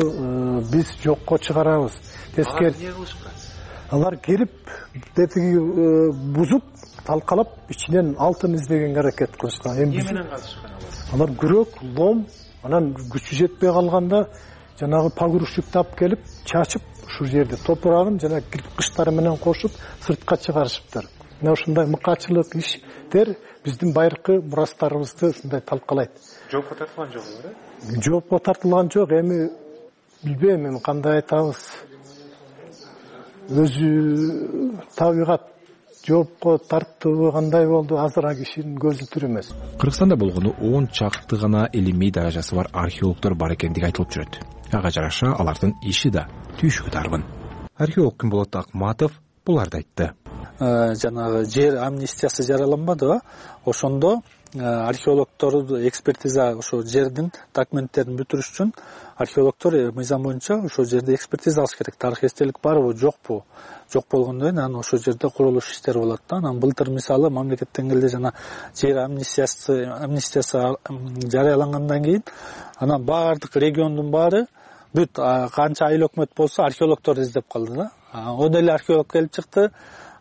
биз жокко чыгарабыз. Тескери алар келип, детиги бузуп, талкалап, ичинен алтын издегенге аракет кылышкан. Эмне менен казышкан алар? Алар күрөк, лом, анан күчү жетпей калганда жанагы погрузчик тап келип, чачып, ушул жерде топурагын жана кыркычтары менен кошуп, сыртка чыгарышыптыр. Мына ушундай мыкачылык иштер биздин байыркы мурастарыбызды ушундай талкалайт. Жоопко тартылган жок беле? Жоопко тартылган жок, эми билбейм, эми кандай айтабыз. Өзү табигат жоопко тартуу кандай болду, азыраак кишинин көзү түр эмес. Кыргызстанда болгону 10 чакты гана илимий даражасы бар археологдор бар экендиги айтылып жүрөт. Ага жараша алардын иши да түйшүгү тарбын. Археолог Күнболот Акматов буларды айтты. Жанагы жер амнистиясы жарыяланбадыбы? Ошондо археологдор экспертиза ошо жердин документтерин бүтүрүш үчүн археологдор мыйзам боюнча ошо жерде экспертиза алыш керек. Тарых эстелик барбы, жокпу? Жок болгондон кийин анан ошо жерде курулуш иштери болот да. Анан былтыр мисалы мамлекет деңгээлде жана жер амнистиясы жарыялангандан кийин анан баардык региондун баары бүт канча айыл өкмөт болсо археологдор издеп калды да. Он эле археолог келип чыкты.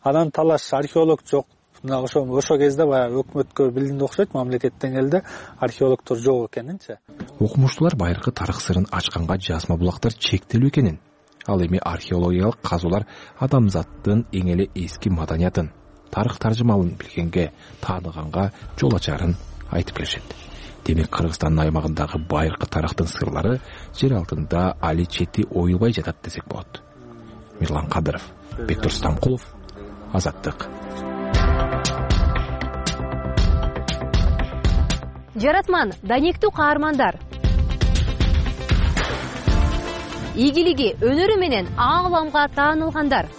Анан талаш археолог жок. Мына ошо кезде баягы өкмөткө билдинде окшойт, мамлекет деңгээлде археологдор жок экенинчи. Окумуштуулар байыркы тарых сырын ачканга жазма булактар чектелүү экенин, ал эми археологиялык казуулар адамзаттын эң эле эски маданиятын, тарых таржымалын билгенге, тааныганга жол ачарын айтып келишет. Демек Кыргызстандын аймагындагы байыркы тарыхтын сырлары жер алтында али чети оюлбай жатат десек болот. Мирлан Кадыров, Бектур Стамкулов, Азаттык. Жаратман, данектүү каармандар. Ийгилиги, өнөрү менен аңламга таанылгандар.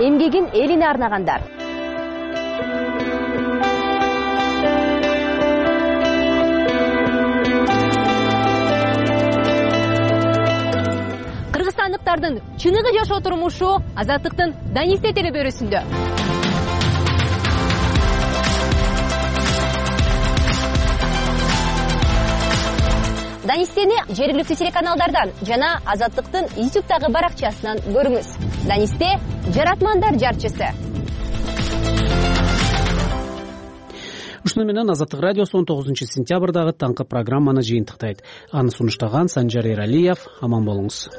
эмгегин элине арнагандар. Кыргызстандыктардын чыныгы жашоо турмушу Азаттыктын Данисте телебөрүсүндө. Данистени жергиликтүү телеканалдардан жана Азаттыктын YouTube'дагы баракчасынан көрүңүз. Данисте жаратмандар жарчысы. Ушуну менен Азаттык радиосу 19-сентябрдагы таңкы программаны жыйынтыктайт. Аны сунуштаган Санжар Эралиев. Аман болуңуз.